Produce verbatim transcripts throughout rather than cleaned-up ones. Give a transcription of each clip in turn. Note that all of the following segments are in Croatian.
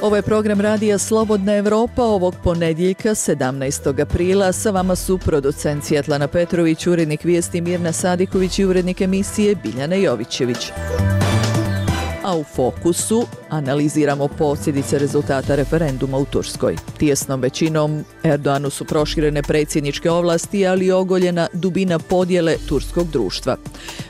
Ovo je program radija Slobodna Evropa ovog ponedjeljka sedamnaestog aprila. Sa vama su producent Svjetlana Petrović, urednik vijesti Mirna Sadiković i urednik emisije Biljana Jovićević. A u fokusu analiziramo posljedice rezultata referenduma u Turskoj. Tijesnom većinom Erdoganu su proširene predsjedničke ovlasti, ali i ogoljena dubina podjele turskog društva.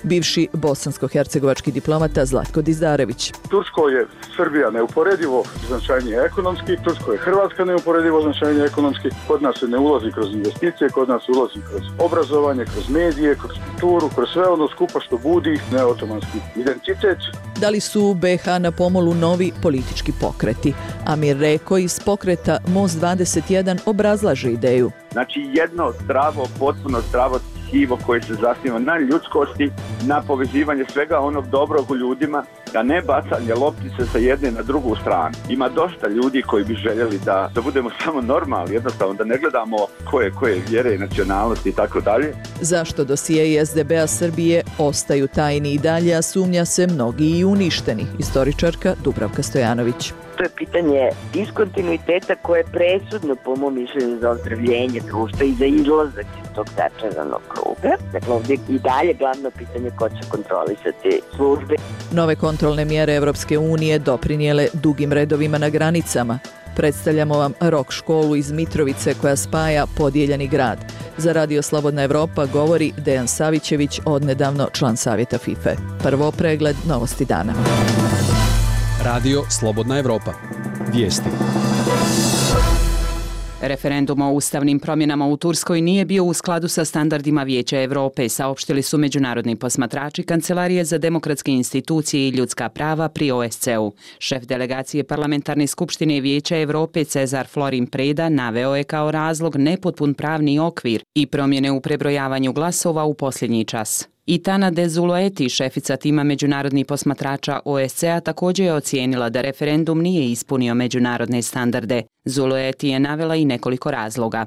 Bivši bosansko-hercegovački diplomata Zlatko Dizdarević. Tursko je Srbija neuporedivo značajnije ekonomski, Tursko je Hrvatska neuporedivo značajnije ekonomski, kod nas se ne ulazi kroz investicije, kod nas se ulazi kroz obrazovanje, kroz medije, kroz kulturu, kroz sve ono skupa što budi neotomanski identitet. Da li su u be ha na pomolu novi politički pokreti? Amir Reko iz pokreta Most dvadeset jedan obrazlaže ideju. Znači jedno zdravo, potpuno zdravo tkivo koje se zasniva na ljudskosti, na povezivanje svega onog dobrog u ljudima, a ne bacanje loptice sa jedne na drugu stranu. Ima dosta ljudi koji bi željeli da, da budemo samo normalni, jednostavno da ne gledamo koje, koje vjere, nacionalnosti i tako dalje. Zašto dosije es de be a Srbije ostaju tajni i dalje, a sumnja se mnogi i uništeni? Istoričarka Dubravka Stojanović. To je pitanje diskontinuiteta koje je presudno po mom mišljenju za ozdravljenje društva i za izlazak iz tog začaranog kruga. Dakle, ovdje i dalje glavno pitanje ko će kontrolisati službe. Nove kontrolne mjere Evropske unije doprinijele dugim redovima na granicama. Predstavljamo vam rock školu iz Mitrovice koja spaja podijeljeni grad. Za Radio Slobodna Evropa govori Dejan Savićević, odnedavno član savjeta fife. Prvo pregled novosti dana. Radio Slobodna Evropa. Vijesti. Referendum o ustavnim promjenama u Turskoj nije bio u skladu sa standardima Vijeća Europe, saopštili su međunarodni posmatrači Kancelarije za demokratske institucije i ljudska prava pri o es ce u. Šef delegacije Parlamentarne skupštine Vijeća Europe Cezar Florin Preda naveo je kao razlog nepotpun pravni okvir i promjene u prebrojavanju glasova u posljednji čas. I Tana de Zulueti, šefica tima međunarodnih posmatrača o es ce a, također je ocijenila da referendum nije ispunio međunarodne standarde. Zulueti je navela i nekoliko razloga.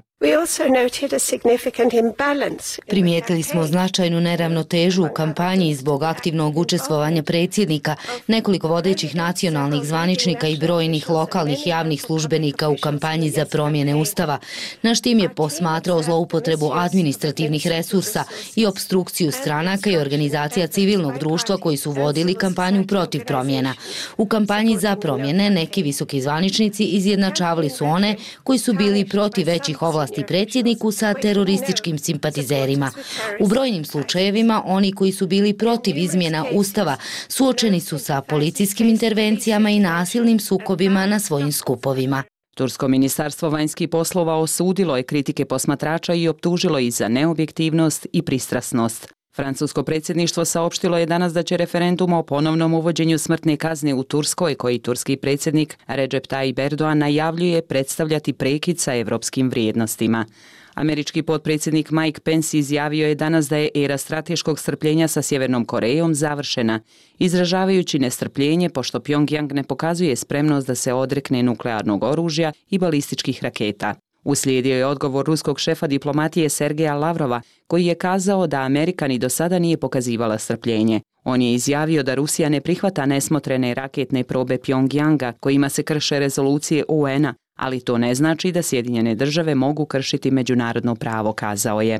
Primijetili smo značajnu neravnotežu u kampanji zbog aktivnog učestvovanja predsjednika, nekoliko vodećih nacionalnih zvaničnika i brojnih lokalnih javnih službenika u kampanji za promjene ustava. Naš tim je posmatrao zloupotrebu administrativnih resursa i opstrukciju stranaka i organizacija civilnog društva koji su vodili kampanju protiv promjena. U kampanji za promjene neki visoki zvaničnici izjednačavali su one koji su bili protiv većih ovlasti predsjedniku sa terorističkim simpatizerima. U brojnim slučajevima oni koji su bili protiv izmjena ustava suočeni su sa policijskim intervencijama i nasilnim sukobima na svojim skupovima. Tursko ministarstvo vanjskih poslova osudilo je kritike posmatrača i optužilo ih za neobjektivnost i pristrasnost. Francusko predsjedništvo saopštilo je danas da će referendum o ponovnom uvođenju smrtne kazne u Turskoj, koji turski predsjednik Recep Tayyip Erdogan najavljuje, predstavljati prekid sa evropskim vrijednostima. Američki potpredsjednik Mike Pence izjavio je danas da je era strateškog strpljenja sa Sjevernom Korejom završena, izražavajući nestrpljenje pošto Pyongyang ne pokazuje spremnost da se odrekne nuklearnog oružja i balističkih raketa. Uslijedio je odgovor ruskog šefa diplomatije Sergeja Lavrova, koji je kazao da Amerika ni do sada nije pokazivala strpljenje. On je izjavio da Rusija ne prihvata nesmotrene raketne probe Pyongyanga kojima se krše rezolucije u en a, ali to ne znači da Sjedinjene države mogu kršiti međunarodno pravo, kazao je.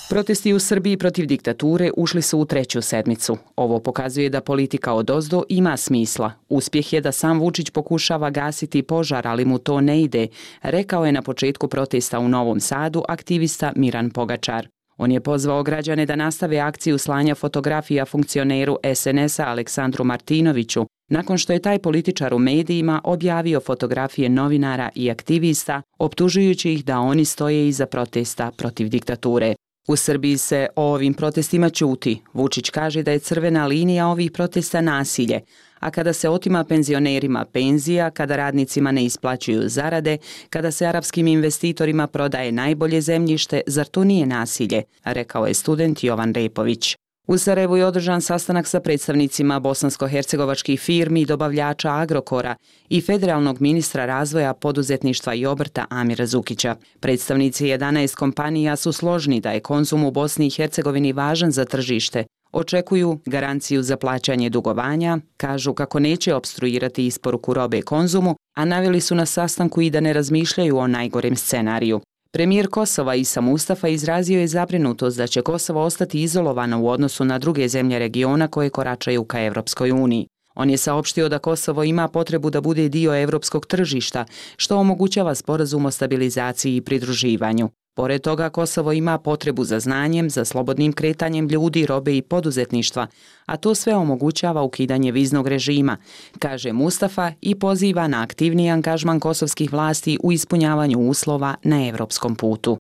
Protesti u Srbiji protiv diktature ušli su u treću sedmicu. Ovo pokazuje da politika odozdo ima smisla. Uspjeh je da sam Vučić pokušava gasiti požar, ali mu to ne ide, rekao je na početku protesta u Novom Sadu aktivista Miran Pogačar. On je pozvao građane da nastave akciju slanja fotografija funkcioneru es en es a Aleksandru Martinoviću, nakon što je taj političar u medijima objavio fotografije novinara i aktivista, optužujući ih da oni stoje iza protesta protiv diktature. U Srbiji se o ovim protestima ćuti. Vučić kaže da je crvena linija ovih protesta nasilje, a kada se otima penzionerima penzija, kada radnicima ne isplaćuju zarade, kada se arapskim investitorima prodaje najbolje zemljište, zar to nije nasilje, rekao je student Jovan Repović. U Sarajevu je održan sastanak sa predstavnicima bosansko-hercegovačkih firmi i dobavljača Agrokora i federalnog ministra razvoja, poduzetništva i obrta Amira Zukića. Predstavnici jedanaest kompanija su složni da je konzum u Bosni i Hercegovini važan za tržište. Očekuju garanciju za plaćanje dugovanja, kažu kako neće opstruirati isporuku robe konzumu, a naveli su na sastanku i da ne razmišljaju o najgorem scenariju. Premijer Kosova Isa Mustafa izrazio je zabrinutost da će Kosovo ostati izolovano u odnosu na druge zemlje regiona koje koračaju ka Evropskoj uniji. On je saopštio da Kosovo ima potrebu da bude dio evropskog tržišta, što omogućava sporazum o stabilizaciji i pridruživanju. Pored toga, Kosovo ima potrebu za znanjem, za slobodnim kretanjem ljudi, robe i poduzetništva, a to sve omogućava ukidanje viznog režima, kaže Mustafa i poziva na aktivniji angažman kosovskih vlasti u ispunjavanju uslova na evropskom putu.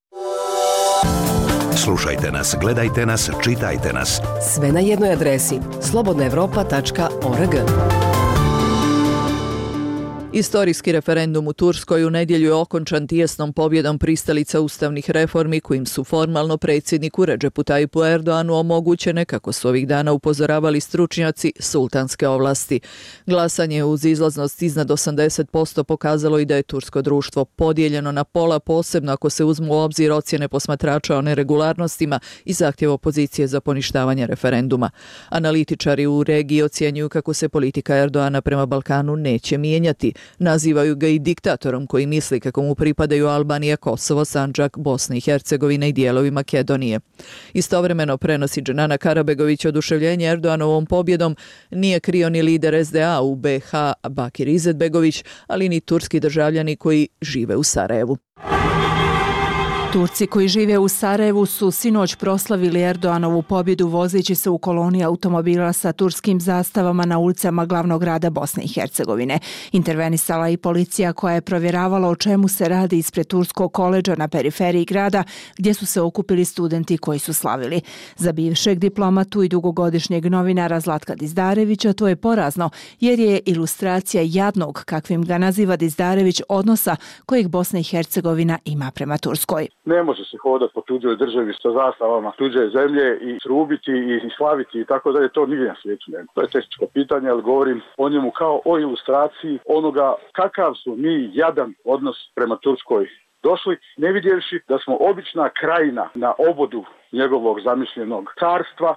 Slušajte nas, gledajte nas, čitajte nas. Sve na jednoj adresi slobodna evropa tačka org. Istorijski referendum u Turskoj u nedjelju je okončan tijesnom pobjedom pristalica ustavnih reformi kojim su formalno predsjedniku Redžepu Tajipu Erdoanu omogućene, kako su ovih dana upozoravali stručnjaci, sultanske ovlasti. Glasanje uz izlaznost iznad osamdeset posto pokazalo i da je tursko društvo podijeljeno na pola, posebno ako se uzmu u obzir ocjene posmatrača o neregularnostima i zahtjev opozicije za poništavanje referenduma. Analitičari u regiji ocjenjuju kako se politika Erdoana prema Balkanu neće mijenjati. Nazivaju ga i diktatorom koji misli kako mu pripadaju Albanija, Kosovo, Sandžak, Bosna i Hercegovina i dijelovi Makedonije. Istovremeno prenosi Dženana Karabegović oduševljenje Erdoanovom pobjedom nije krio ni lider es de a u be ha Bakir Izetbegović, ali ni turski državljani koji žive u Sarajevu. Turci koji žive u Sarajevu su sinoć proslavili Erdoanovu pobjedu vozeći se u koloni automobila sa turskim zastavama na ulicama glavnog grada Bosne i Hercegovine. Intervenisala i policija koja je provjeravala o čemu se radi ispred turskog koledža na periferiji grada gdje su se okupili studenti koji su slavili. Za bivšeg diplomatu i dugogodišnjeg novinara Zlatka Dizdarevića to je porazno jer je ilustracija jadnog, kakvim ga naziva Dizdarević, odnosa kojeg Bosna i Hercegovina ima prema Turskoj. Ne može se hodati po tuđoj državi sa zastavama tuđe zemlje i trubiti i slaviti i tako dalje, to nigdje na svijetu nema. To je tehničko pitanje, ali govorim o njemu kao o ilustraciji onoga kakav su mi jadan odnos prema Turskoj došli, ne vidjevši da smo obična krajina na obodu njegovog zamišljenog carstva,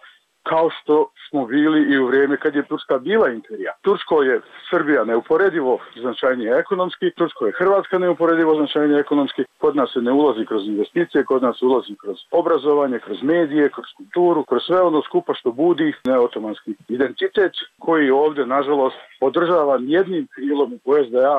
kao što smo bili i u vrijeme kad je Turska bila imperija. Tursko je Srbija neuporedivo značajnije ekonomski, Tursko je Hrvatska neuporedivo značajnije ekonomski, kod nas se ne ulazi kroz investicije, kod nas ulazi kroz obrazovanje, kroz medije, kroz kulturu, kroz sve ono skupa što budi neotomanski identitet koji ovdje, nažalost, podržavan jednim krilom u es de a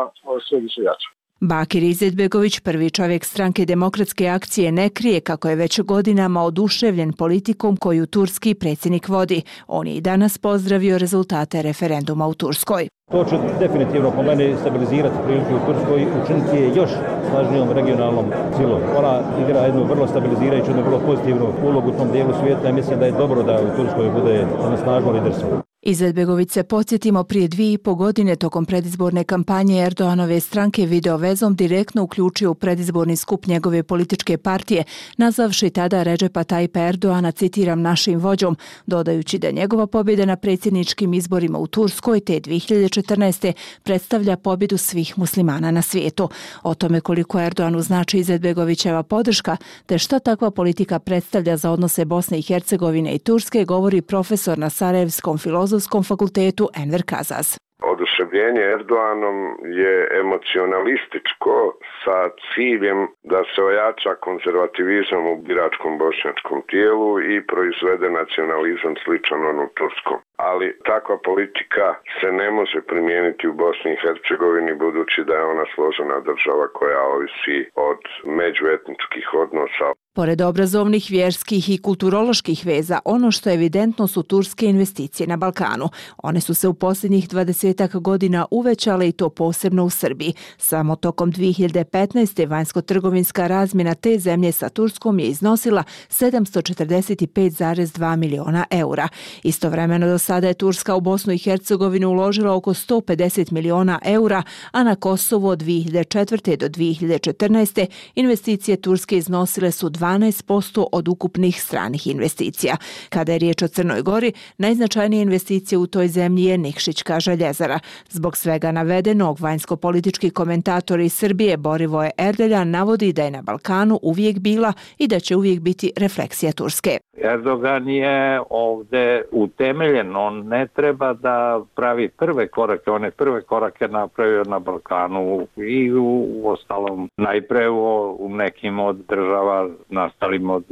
sve više jača. Bakir Izetbegović, prvi čovjek stranke Demokratske akcije, ne krije kako je već godinama oduševljen politikom koju turski predsjednik vodi. On je i danas pozdravio rezultate referenduma u Turskoj. To će definitivno po meni stabilizirati prilike u Turskoj i učiniti je još snažnijom regionalnom silom. Ona igra jednu vrlo stabilizirajuću, jednu vrlo pozitivnu ulogu u tom dijelu svijeta i mislim da je dobro da u Turskoj bude jedno snažno liderstvo. Izetbegović se, podsjetimo, prije dvije i po godine tokom predizborne kampanje Erdoanove stranke video vezom direktno uključio u predizborni skup njegove političke partije, nazvavši tada Redžepa Tajipa Erdoana, citiram, našim vođom, dodajući da njegova pobjeda na predsjedničkim izborima u Turskoj te dvije hiljade četrnaeste. predstavlja pobjedu svih muslimana na svijetu. O tome koliko Erdoanu znači Izetbegovićeva podrška, te šta takva politika predstavlja za odnose Bosne i Hercegovine i Turske, govori profesor na Sarajevskom filozofskom fakultetu Enver Kazaz. Oduševljenje Erdoanom je emocionalističko sa ciljem da se ojača konzervativizam u biračkom bošnjačkom tijelu i proizvede nacionalizam sličan onom turskom. Ali takva politika se ne može primijeniti u Bosni i Hercegovini budući da je ona složena država koja ovisi od međuetničkih odnosa. Pored obrazovnih, vjerskih i kulturoloških veza, ono što je evidentno su turske investicije na Balkanu. One su se u posljednjih dvadesetak godina uvećale i to posebno u Srbiji. Samo tokom dvije hiljade petnaeste. vanjsko-trgovinska razmjena te zemlje sa Turskom je iznosila sedamsto četrdeset pet zarez dva miliona eura. Istovremeno do sada je Turska u Bosnu i Hercegovinu uložila oko sto pedeset miliona eura, a na Kosovo od dvije hiljade četvrte. do dvije hiljade četrnaeste. investicije Turske iznosile su dvanaest posto od ukupnih stranih investicija. Kada je riječ o Crnoj Gori, najznačajnije investicije u toj zemlji je Nikšićka željezara. Zbog svega navedenog, vanjsko-politički komentator iz Srbije Borivoje Erdeljan navodi da je na Balkanu uvijek bila i da će uvijek biti refleksija Turske. Erdogan je ovdje utemeljen, on ne treba da pravi prve korake, on je prve korake napravio na Balkanu i u, u ostalom najpre u, u nekim od država nastalim od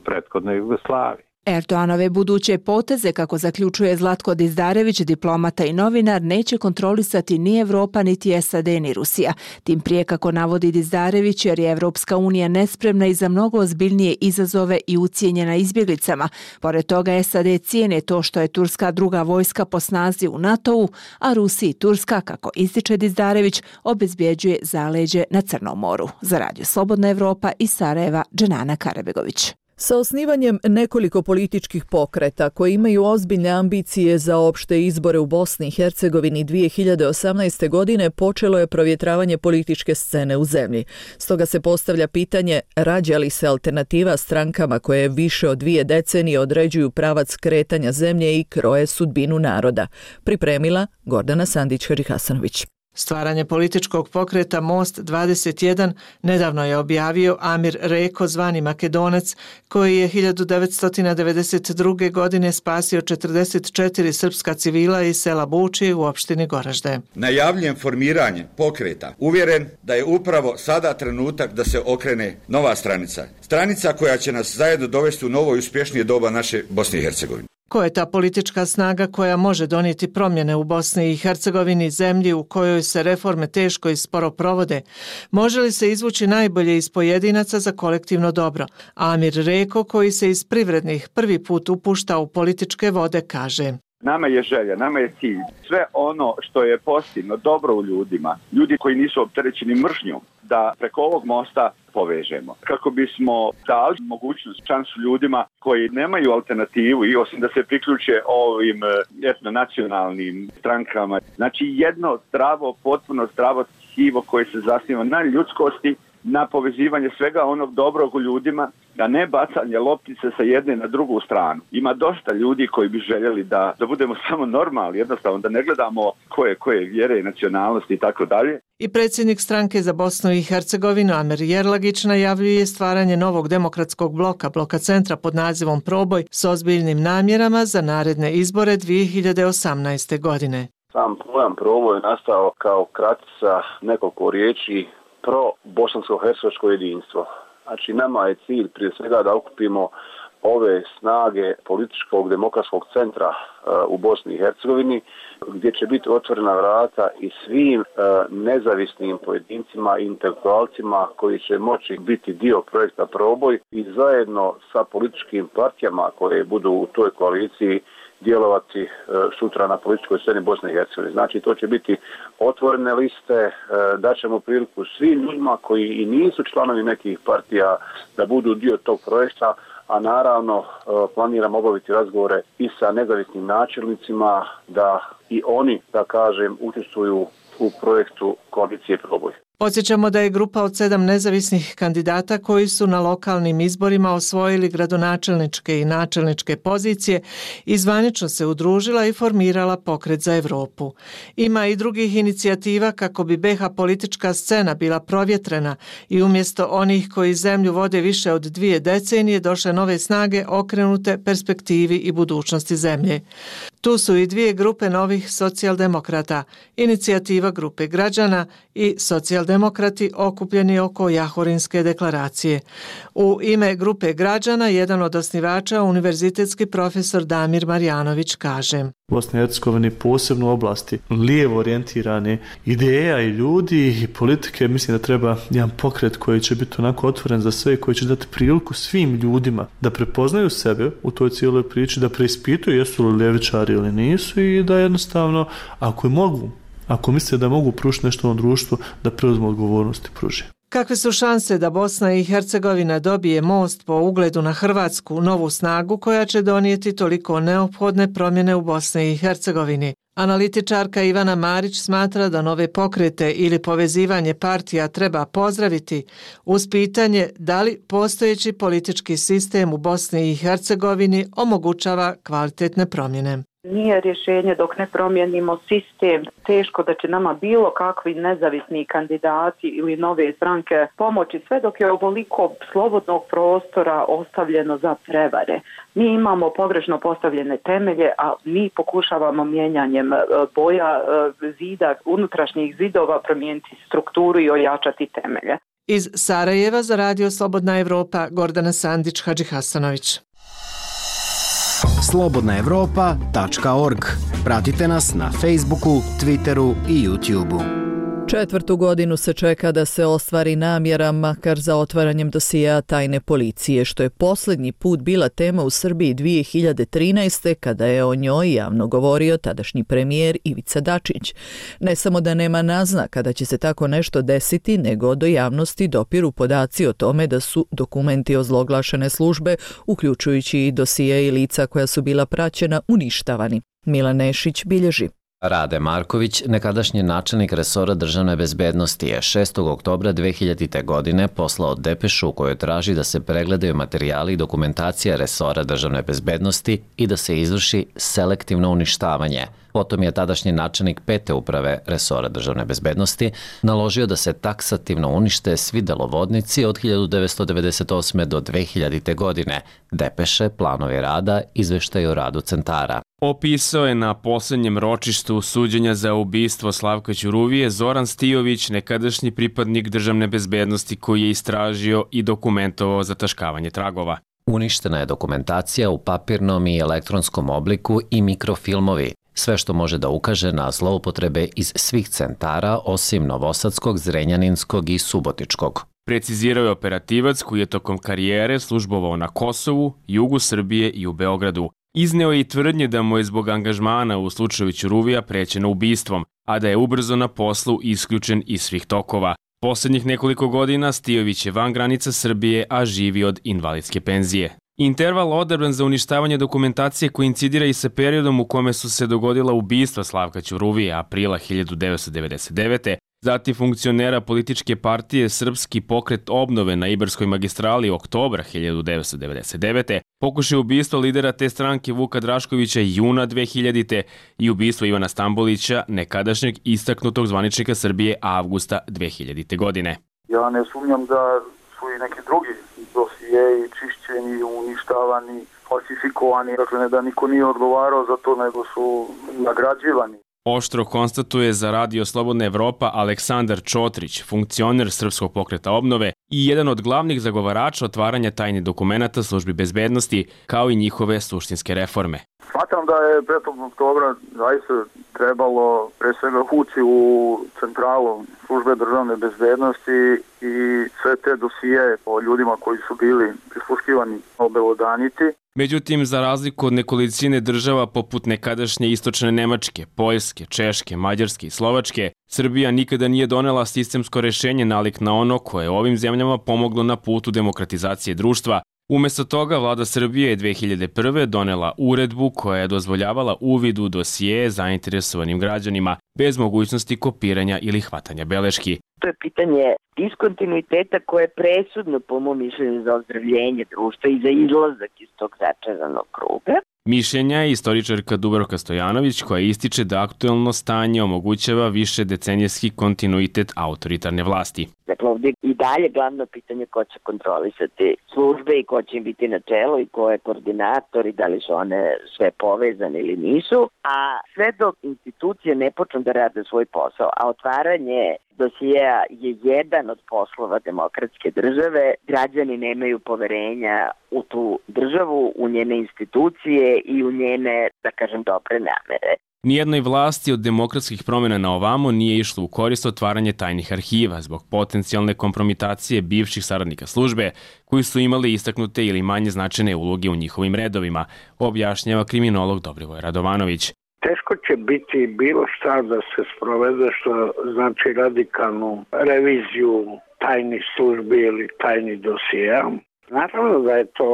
prethodne Jugoslavije. Erdoganove buduće poteze, kako zaključuje Zlatko Dizdarević, diplomata i novinar, neće kontrolisati ni Evropa, niti S A D, ni Rusija. Tim prije, kako navodi Dizdarević, jer je Evropska unija nespremna i za mnogo ozbiljnije izazove i ucijenjena izbjeglicama. Pored toga, S A D cijene to što je turska druga vojska po snazi u NATO-u, a Rusiji Turska, kako ističe Dizdarević, obezbjeđuje zaleđe na Crnom moru. Za Radio Slobodna Evropa iz Sarajeva, Dženana Karabegović. Sa osnivanjem nekoliko političkih pokreta koji imaju ozbiljne ambicije za opšte izbore u Bosni i Hercegovini dvije hiljade osamnaeste. godine počelo je provjetravanje političke scene u zemlji. Stoga se postavlja pitanje rađa li se alternativa strankama koje više od dvije decenije određuju pravac kretanja zemlje i kroje sudbinu naroda. Pripremila Gordana Sandić-Harihasanović. Stvaranje političkog pokreta Most dvadeset jedan nedavno je objavio Amir Reko, zvani Makedonac, koji je hiljadu devetsto devedeset druge. godine spasio četrdeset četiri srpska civila iz sela Buči u opštini Goražde. Najavljujem formiranje pokreta. Uvjeren da je upravo sada trenutak da se okrene nova stranica. Stranica koja će nas zajedno dovesti u novo i uspješnije doba naše Bosne i Hercegovine. Ko je ta politička snaga koja može donijeti promjene u Bosni i Hercegovini, zemlji u kojoj se reforme teško i sporo provode? Može li se izvući najbolje iz pojedinaca za kolektivno dobro? Amir Reko, koji se iz privrednih prvi put upušta u političke vode, kaže: Nama je želja, nama je cilj. Sve ono što je pozitivno, dobro u ljudima, ljudi koji nisu opterećeni mržnjom, da preko ovog mosta povežemo. Kako bismo dali mogućnost, šansu ljudima koji nemaju alternativu i osim da se priključe ovim etnonacionalnim strankama. Znači jedno zdravo, potpuno zdravo tkivo koje se zasniva na ljudskosti, na povezivanje svega onog dobrog u ljudima, a ne bacanje loptice sa jedne na drugu stranu. Ima dosta ljudi koji bi željeli da, da budemo samo normalni, jednostavno da ne gledamo koje, koje vjere, nacionalnosti i tako dalje. I predsjednik stranke za Bosnu i Hercegovinu Amer Jerlagić najavljuje stvaranje novog demokratskog bloka, bloka centra pod nazivom Proboj, s ozbiljnim namjerama za naredne izbore dvije hiljade osamnaeste. godine. Sam pojam Proboj je nastao kao kratica nekoliko riječi pro bosansko-hercegovačko jedinstvo. Znači nama je cilj prije svega da okupimo ove snage političkog demokratskog centra uh, u Bosni i Hercegovini, gdje će biti otvorena vrata i svim uh, nezavisnim pojedincima i intelektualcima koji će moći biti dio projekta Proboj i zajedno sa političkim partijama koje budu u toj koaliciji djelovati uh, sutra na političkoj sceni Bosne i Hercegovine. Znači to će biti otvorene liste, uh, daćemo priliku svim ljudima koji i nisu članovi nekih partija da budu dio tog projekta, a naravno planiramo obaviti razgovore i sa nezavisnim načelnicima da i oni, da kažem, učestvuju u projektu koalicije Proboj. Podsjećamo da je grupa od sedam nezavisnih kandidata koji su na lokalnim izborima osvojili gradonačelničke i načelničke pozicije i zvanično se udružila i formirala Pokret za Evropu. Ima i drugih inicijativa kako bi B iH politička scena bila provjetrena i umjesto onih koji zemlju vode više od dvije decenije došle nove snage okrenute perspektivi i budućnosti zemlje. Tu su i dvije grupe novih socijaldemokrata, inicijativa grupe građana i socijaldemokrati okupljeni oko Jahorinske deklaracije. U ime grupe građana jedan od osnivača, univerzitetski profesor Damir Marjanović, kaže: Bosna i Hercegovina posebno u oblasti lijevo orijentirane ideja i ljudi i politike, mislim da treba jedan pokret koji će biti onako otvoren za sve, koji će dati priliku svim ljudima da prepoznaju sebe u toj cijeloj priči, da preispituju jesu li ljevičari ili nisu i da jednostavno, ako je mogu, ako misle da mogu pružiti nešto u društvu, da preuzmu odgovornost i pruži. Kakve su šanse da Bosna i Hercegovina dobije most po ugledu na Hrvatsku, novu snagu koja će donijeti toliko neophodne promjene u Bosni i Hercegovini? Analitičarka Ivana Marić smatra da nove pokrete ili povezivanje partija treba pozdraviti uz pitanje da li postojeći politički sistem u Bosni i Hercegovini omogućava kvalitetne promjene. Nije rješenje dok ne promijenimo sistem. Teško da će nama bilo kakvi nezavisni kandidati ili nove stranke pomoći sve dok je ovoliko slobodnog prostora ostavljeno za prevare. Mi imamo pogrešno postavljene temelje, a mi pokušavamo mijenjanjem boja zida, unutrašnjih zidova promijeniti strukturu i ojačati temelje. Iz Sarajeva za Radio Slobodna Evropa, Gordana Sandić, Hadžihasanović. slobodna evropa tačka org. Pratite nas na Facebooku, Twitteru i YouTubeu. Četvrtu godinu se čeka da se ostvari namjera, makar za otvaranjem dosijea tajne policije, što je posljednji put bila tema u Srbiji dvije hiljade trinaeste. kada je o njoj javno govorio tadašnji premijer Ivica Dačić. Ne samo da nema naznaka da će se tako nešto desiti, nego do javnosti dopiru podaci o tome da su dokumenti ozloglašene službe, uključujući i dosije i lica koja su bila praćena, uništavani. Milan Nešić bilježi. Rade Marković, nekadašnji načelnik resora državne bezbednosti, je šestog oktobra dve hiljadite. godine poslao depešu u kojoj traži da se pregledaju materijali i dokumentacija resora državne bezbednosti i da se izvrši selektivno uništavanje. Potom je tadašnji načelnik pete uprave resora državne bezbednosti naložio da se taksativno unište svi delovodnici od hiljadu devetsto devedeset osme. do dve hiljadite. godine, depeše, planovi rada, izveštaj o radu centara. Opisao je na posljednjem ročištu suđenja za ubistvo Slavka Ćuruvije Zoran Stijović, nekadašnji pripadnik državne bezbednosti koji je istražio i dokumentovao zataškavanje tragova. Uništena je dokumentacija u papirnom i elektronskom obliku i mikrofilmovi, sve što može da ukaže na zloupotrebe iz svih centara osim Novosadskog, Zrenjaninskog i Subotičkog. Precizirao je operativac koji je tokom karijere službovao na Kosovu, jugu Srbije i u Beogradu. Izneo je i tvrdnje da mu je zbog angažmana u slučaju Ćuruvija prećeno ubistvom, a da je ubrzo na poslu isključen iz svih tokova. Posljednjih nekoliko godina Stijović je van granica Srbije, a živi od invalidske penzije. Interval odabran za uništavanje dokumentacije koincidira i sa periodom u kome su se dogodila ubistva Slavka Ćuruvije aprila hiljadu devetsto devedeset devete. Zatim funkcionera političke partije Srpski pokret obnove na Ibarskoj magistrali oktobra hiljadu devetsto devedeset devete. Pokušaj ubistva lidera te stranke Vuka Draškovića juna dve hiljadite. i ubistvo Ivana Stambolića, nekadašnjeg istaknutog zvaničnika Srbije avgusta dve hiljadite. godine. Ja ne sumnjam da su i neki drugi dosijeji čišćeni, uništavani, falsifikovani, dakle ne da niko nije odgovarao za to, nego su nagrađivani. Oštro konstatuje za Radio Slobodna Evropa Aleksandar Čotrić, funkcioner Srpskog pokreta obnove i jedan od glavnih zagovarača otvaranja tajnih dokumenata službi bezbednosti, kao i njihove suštinske reforme. Smatram da je petog oktobra zaista trebalo pre svega ući u centralu službe državne bezbednosti i sve te dosije o ljudima koji su bili prisluškivani obelodaniti. Međutim, za razliku od nekolicine država poput nekadašnje istočne Nemačke, Poljske, Češke, Mađarske i Slovačke, Srbija nikada nije donela sistemsko rešenje nalik na ono koje je ovim zemljama pomoglo na putu demokratizacije društva. Umjesto toga, vlada Srbije je dve hiljade prve. donela uredbu koja je dozvoljavala uvid u dosije zainteresovanim građanima bez mogućnosti kopiranja ili hvatanja beleški. To je pitanje diskontinuiteta koje je presudno po mom mišljenju za ozdravljenje društva i za izlazak iz tog začaranog kruga. Mišljenja je istoričarka Dubravka Stojanović, koja ističe da aktuelno stanje omogućava više decenijski kontinuitet autoritarne vlasti. Dakle, ovdje i dalje glavno pitanje ko će kontrolisati službe i ko će im biti na čelu i ko je koordinator i da li su one sve povezane ili nisu. A sve dok institucije ne počnu da rade svoj posao, a otvaranje dosijeja je jedan od poslova demokratske države, građani nemaju poverenja u tu državu, u njene institucije i u njene, da kažem, dobre namere. Nijednoj vlasti od demokratskih promjena na ovamo nije išlo u korist otvaranje tajnih arhiva zbog potencijalne kompromitacije bivših saradnika službe koji su imali istaknute ili manje značajne uloge u njihovim redovima, objašnjava kriminolog Dobrivoj Radovanović. Teško će biti bilo šta da se sprovede što znači radikalnu reviziju tajnih službi ili tajnih dosija. Naravno da je to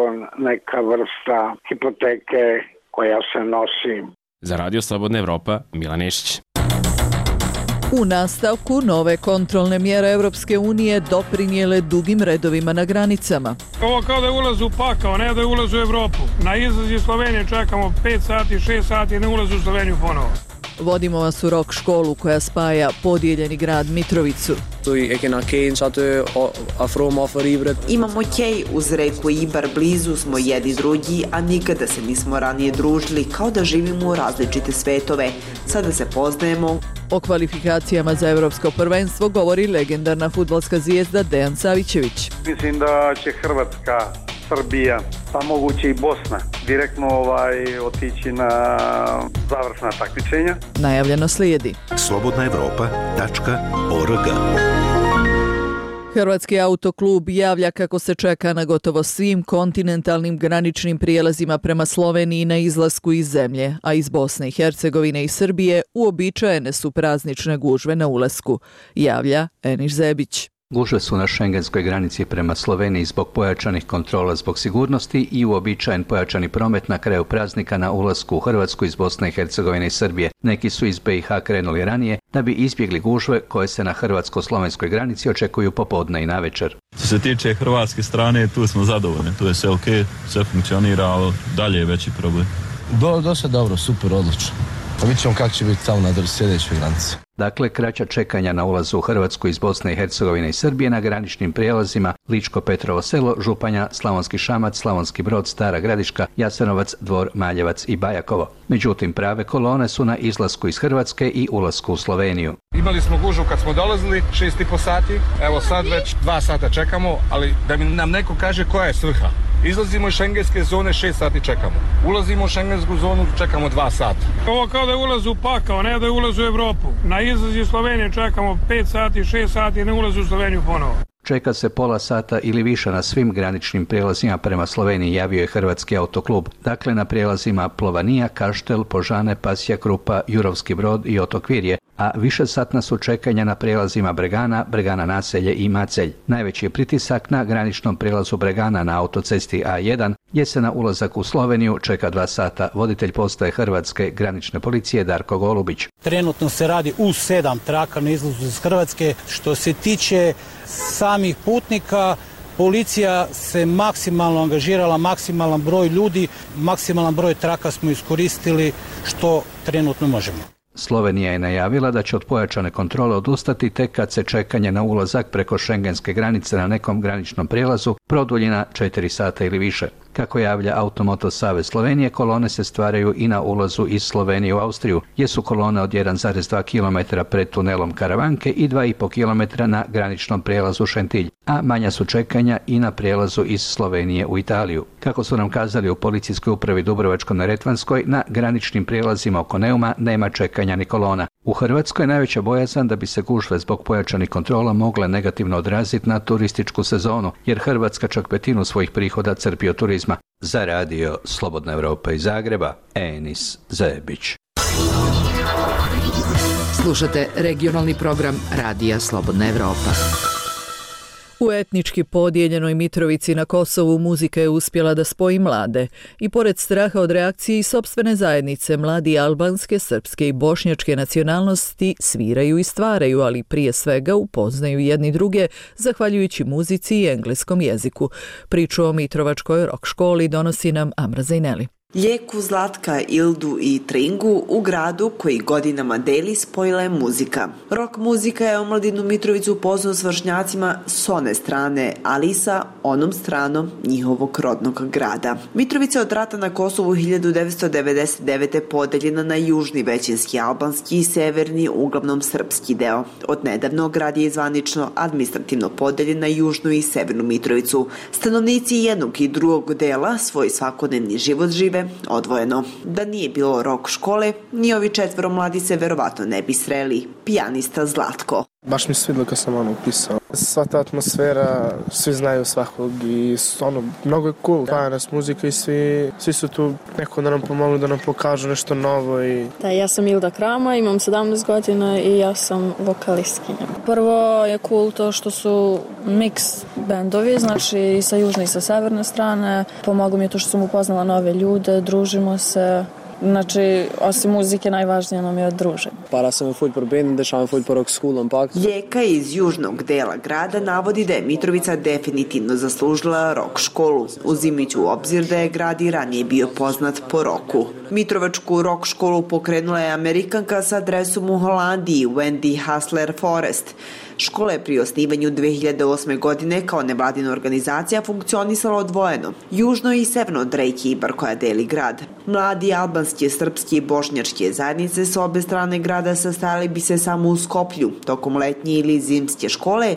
neka vrsta hipoteke koja se nosi. Za Radio Slobodna Evropa, Milan Nešić. U nastavku nove kontrolne mjere Europske unije doprinijele dugim redovima na granicama. Ovo kao da je ulaz u pakao, ne da je ulaz u Evropu. Na izlaz iz Slovenije čekamo pet sati, šest sati, ne ulaz u Sloveniju ponovo. Vodimo vas u rock školu koja spaja podijeljeni grad Mitrovicu. Imamo kej uz reku Ibar, blizu smo jedni drugi, a nikada se nismo ranije družili, kao da živimo u različite svetove. Sada se poznajemo. O kvalifikacijama za evropsko prvenstvo govori legendarna fudbalska zvijezda Dejan Savićević. Mislim da će Hrvatska, Srbija, pa moguće i Bosna direktno ovaj, otići na završna takmičenja. Najavljeno slijedi. slobodna evropa tačka org. Hrvatski autoklub javlja kako se čeka na gotovo svim kontinentalnim graničnim prijelazima prema Sloveniji na izlasku iz zemlje, a iz Bosne i Hercegovine i Srbije uobičajene su praznične gužve na ulasku, javlja Enis Zebić. Gužve su na šengenskoj granici prema Sloveniji zbog pojačanih kontrola zbog sigurnosti i uobičajen pojačani promet na kraju praznika na ulasku u Hrvatsku iz Bosne i Hercegovine i Srbije. Neki su iz be i ha krenuli ranije da bi izbjegli gužve koje se na hrvatsko-slovenskoj granici očekuju popodne i navečer. Što se tiče hrvatske strane, tu smo zadovoljni, tu je sve ok, sve funkcionira, ali dalje je veći problem. Do, dosta dobro, super, odlično. Pa vidjet ćemo kako će biti tamo na sljedećoj granici. Dakle, kraća čekanja na ulazu u Hrvatsku iz Bosne i Hercegovine i Srbije na graničnim prijelazima Ličko-Petrovo selo, Županja, Slavonski Šamac, Slavonski Brod, Stara Gradiška, Jasenovac, Dvor, Maljevac i Bajakovo. Međutim, prave kolone su na izlasku iz Hrvatske i ulasku u Sloveniju. Imali smo gužvu kad smo dolazili, šest i po sati, evo sad već dva sata čekamo, ali da mi nam neko kaže koja je svrha. Izlazimo iz šengenske zone, šest sati čekamo. Ulazimo u šengensku zonu, čekamo dva sata. Ovo kao da je ulaz u pakao, ne da je ulaz u Evropu. Na izlaz iz Slovenije čekamo pet sati, šest sati, ne ulaz u Sloveniju ponovo. Čeka se pola sata ili više na svim graničnim prijelazima prema Sloveniji, javio je Hrvatski autoklub. Dakle, na prijelazima Plovanija, Kaštel, Požane, Pasja Krupa, Jurovski Brod i Otok Virje, a više satna su čekanja na prijelazima Bregana, Bregana Naselje i Macelj. Najveći je pritisak na graničnom prijelazu Bregana na autocesti a jedan, gdje se na ulazak u Sloveniju čeka dva sata. Voditelj postaje Hrvatske granične policije Darko Golubić. Trenutno se radi u sedam traka na izlazu iz Hrvatske. Što se tiče samih putnika, policija se maksimalno angažirala, maksimalan broj ljudi, maksimalan broj traka smo iskoristili što trenutno možemo. Slovenija je najavila da će od pojačane kontrole odustati tek kad se čekanje na ulazak preko šengenske granice na nekom graničnom prijelazu produlji na četiri sata ili više. Kako javlja Automoto Savez Slovenije, kolone se stvaraju i na ulazu iz Slovenije u Austriju, gdje su kolone od jedan zarez dva kilometra pred tunelom Karavanke i dva i po kilometra na graničnom prijelazu Šentilj, a manja su čekanja i na prijelazu iz Slovenije u Italiju. Kako su nam kazali u policijskoj upravi Dubrovačko-neretvanskoj, na graničnim prijelazima oko Neuma nema čekanja ni kolona. U Hrvatskoj je najveća bojazan da bi se gužve zbog pojačanih kontrola mogle negativno odraziti na turističku sezonu, jer Hrvatska čak petinu svojih prihoda crpi od turizma. Za radio Slobodna Evropa iz Zagreba, Enis Zebić. Slušate regionalni program Radija Slobodna Evropa. U etnički podijeljenoj Mitrovici na Kosovu muzika je uspjela da spoji mlade i pored straha od reakcije i sopstvene zajednice, mladi albanske, srpske i bošnjačke nacionalnosti sviraju i stvaraju, ali prije svega upoznaju jedni druge zahvaljujući muzici i engleskom jeziku. Priču o Mitrovačkoj rock školi donosi nam Amra Zajneli. Ljeku, Zlatka, Ildu i Tringu u gradu koji godinama deli spojila je muzika. Rock muzika je omladinu Mitrovicu upoznao s vršnjacima s one strane, ali i sa onom stranom njihovog rodnog grada. Mitrovica je od rata na Kosovu hiljadu devetsto devedeset devete. podeljena na južni većinski albanski i severni, uglavnom srpski deo. Od nedavno grad je zvanično administrativno podeljen na južnu i severnu Mitrovicu. Stanovnici jednog i drugog dela svoj svakodnevni život žive odvojeno. Da nije bilo rock škole, ni ovi četvoro mladi se verovatno ne bi sreli. Pijanista Zlatko. Baš mi se svidilo kad sam ono upisao. Sva ta atmosfera, svi znaju svakog i ono, mnogo je cool. Paja nas muzika i svi, svi su tu neko da nam pomogli, da nam pokažu nešto novo. I... Da, ja sam Ilda Krama, imam sedamnaest godina i ja sam vokalistkinja. Prvo je cool to što su mix bendovi, znači i sa južne i sa severne strane. Pomoglo mi je to što sam upoznala nove ljude, družimo se. Znači, osim muzike, najvažnije nam je druženje. Para sem ful për bendin dhe šam ful për rock school ampak. Ljeka iz južnog dela grada navodi da je Mitrovica definitivno zaslužila rock školu, uzimajući u obzir da je grad i ranije bio poznat po roku. Mitrovačku rock školu pokrenula je Amerikanka sa adresom u Holandiji, Wendy Hassler Forest. Škola je pri osnivanju dve hiljade osme. godine kao nevladina organizacija funkcionisala odvojeno, južno i severno od reke Ibar koja deli grad. Mladi albanske, srpske i bošnjačke zajednice s obe strane grada sastajali bi se samo u Skoplju tokom letnje ili zimske škole,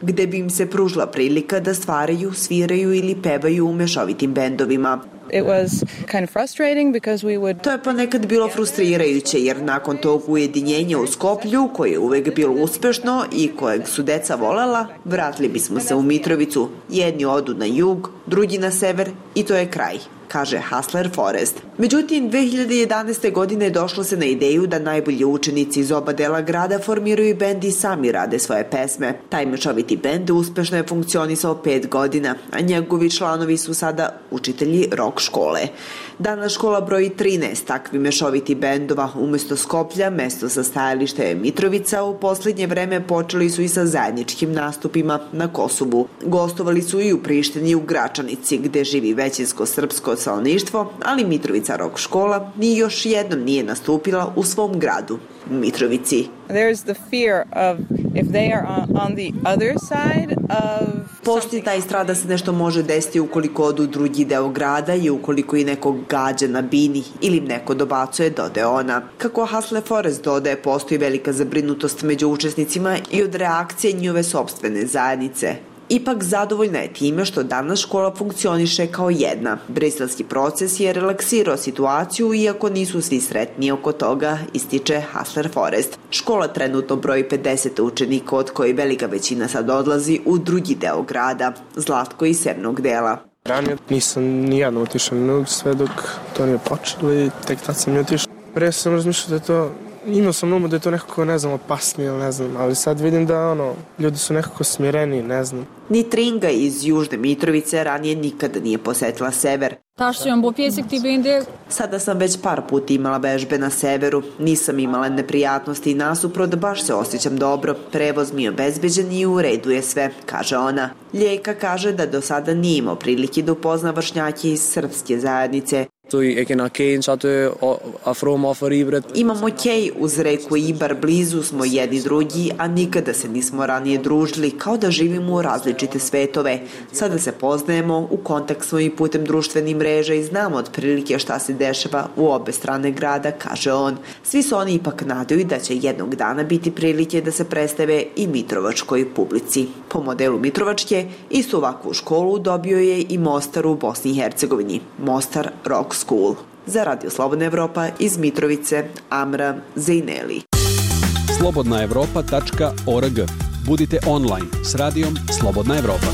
gde bi im se pružila prilika da stvaraju, sviraju ili pevaju u mešovitim bendovima. It was kind of frustrating because we would... To je ponekad bilo frustrirajuće jer nakon tog ujedinjenja u Skoplju, koje je uvek bilo uspešno i kojeg su deca volela, vratili bismo se u Mitrovicu. Jedni odu na jug, drugi na sever i to je kraj, kaže Hassler Forest. Međutim, dve hiljade jedanaeste. godine došlo se na ideju da najbolji učenici iz oba dela grada formiraju bend i sami rade svoje pesme. Taj mešoviti bend uspešno je funkcionisao pet godina, a njegovi članovi su sada učitelji rock škole. Danas škola broji trinaest takvi mešoviti bendova. Umesto Skoplja, mesto sa stajališta je Mitrovica. U posljednje vreme počeli su i sa zajedničkim nastupima na Kosovu. Gostovali su i u Prištini i u Gračanici, gde živi većinsko srpsko stanovništvo, ali Mitrovica rock škola ni još jednom nije nastupila u svom gradu, Mitrovici. There's the fear of if they are on, on the other side of... Postoji taj strah da se nešto može desiti ukoliko odu u drugi deo grada i ukoliko i nekog gađa na bini ili im neko dobacuje, dodaje ona. Kako Hassler Forest dodaje, postoji velika zabrinutost među učesnicima i od reakcije njove sopstvene zajednice. Ipak zadovoljna je time što danas škola funkcioniše kao jedna. Briselski proces je relaksirao situaciju, iako nisu svi sretni oko toga, ističe Hassler Forest. Škola trenutno broji pedeset učenika, od koji velika većina sad odlazi u drugi deo grada, Zlatko iz severnog dela. Ranije nisam nijedno otišao na sve dok to nije počelo i tek tad sam i otišao. Prije sam razmišljao da je to, imao sam na umu da je to nekako, ne znam, opasnije ili ne znam, ali sad vidim da ono, ljudi su nekako smireni, ne znam. Ni Tringa iz Južne Mitrovice ranije nikada nije posetila sever. Sada sam već par puta imala vežbe na severu, nisam imala neprijatnosti i nasuprot, baš se osjećam dobro, prevoz mi je obezbeđen i u redu je sve, kaže ona. Ljeka kaže da do sada nije imao prilike da upozna vršnjake iz srpske zajednice. Imamo kej uz reku Ibar, blizu smo jedni drugi, a nikada se nismo ranije družili, kao da živimo u različite svetove. Sada se poznajemo, u kontakt smo i putem društvenih mreža i znamo otprilike šta se dešava u obe strane grada, kaže on. Svi su oni ipak nadaju da će jednog dana biti prilike da se predstave i mitrovačkoj publici. Po modelu Mitrovačke, istu ovakvu školu dobio je i Mostar u Bosni i Hercegovini, Mostar Rock School. Za Radio Slobodna Evropa iz Mitrovice, Amra Zejneli. slobodna evropa tačka org. Budite online s radijom Slobodna Evropa.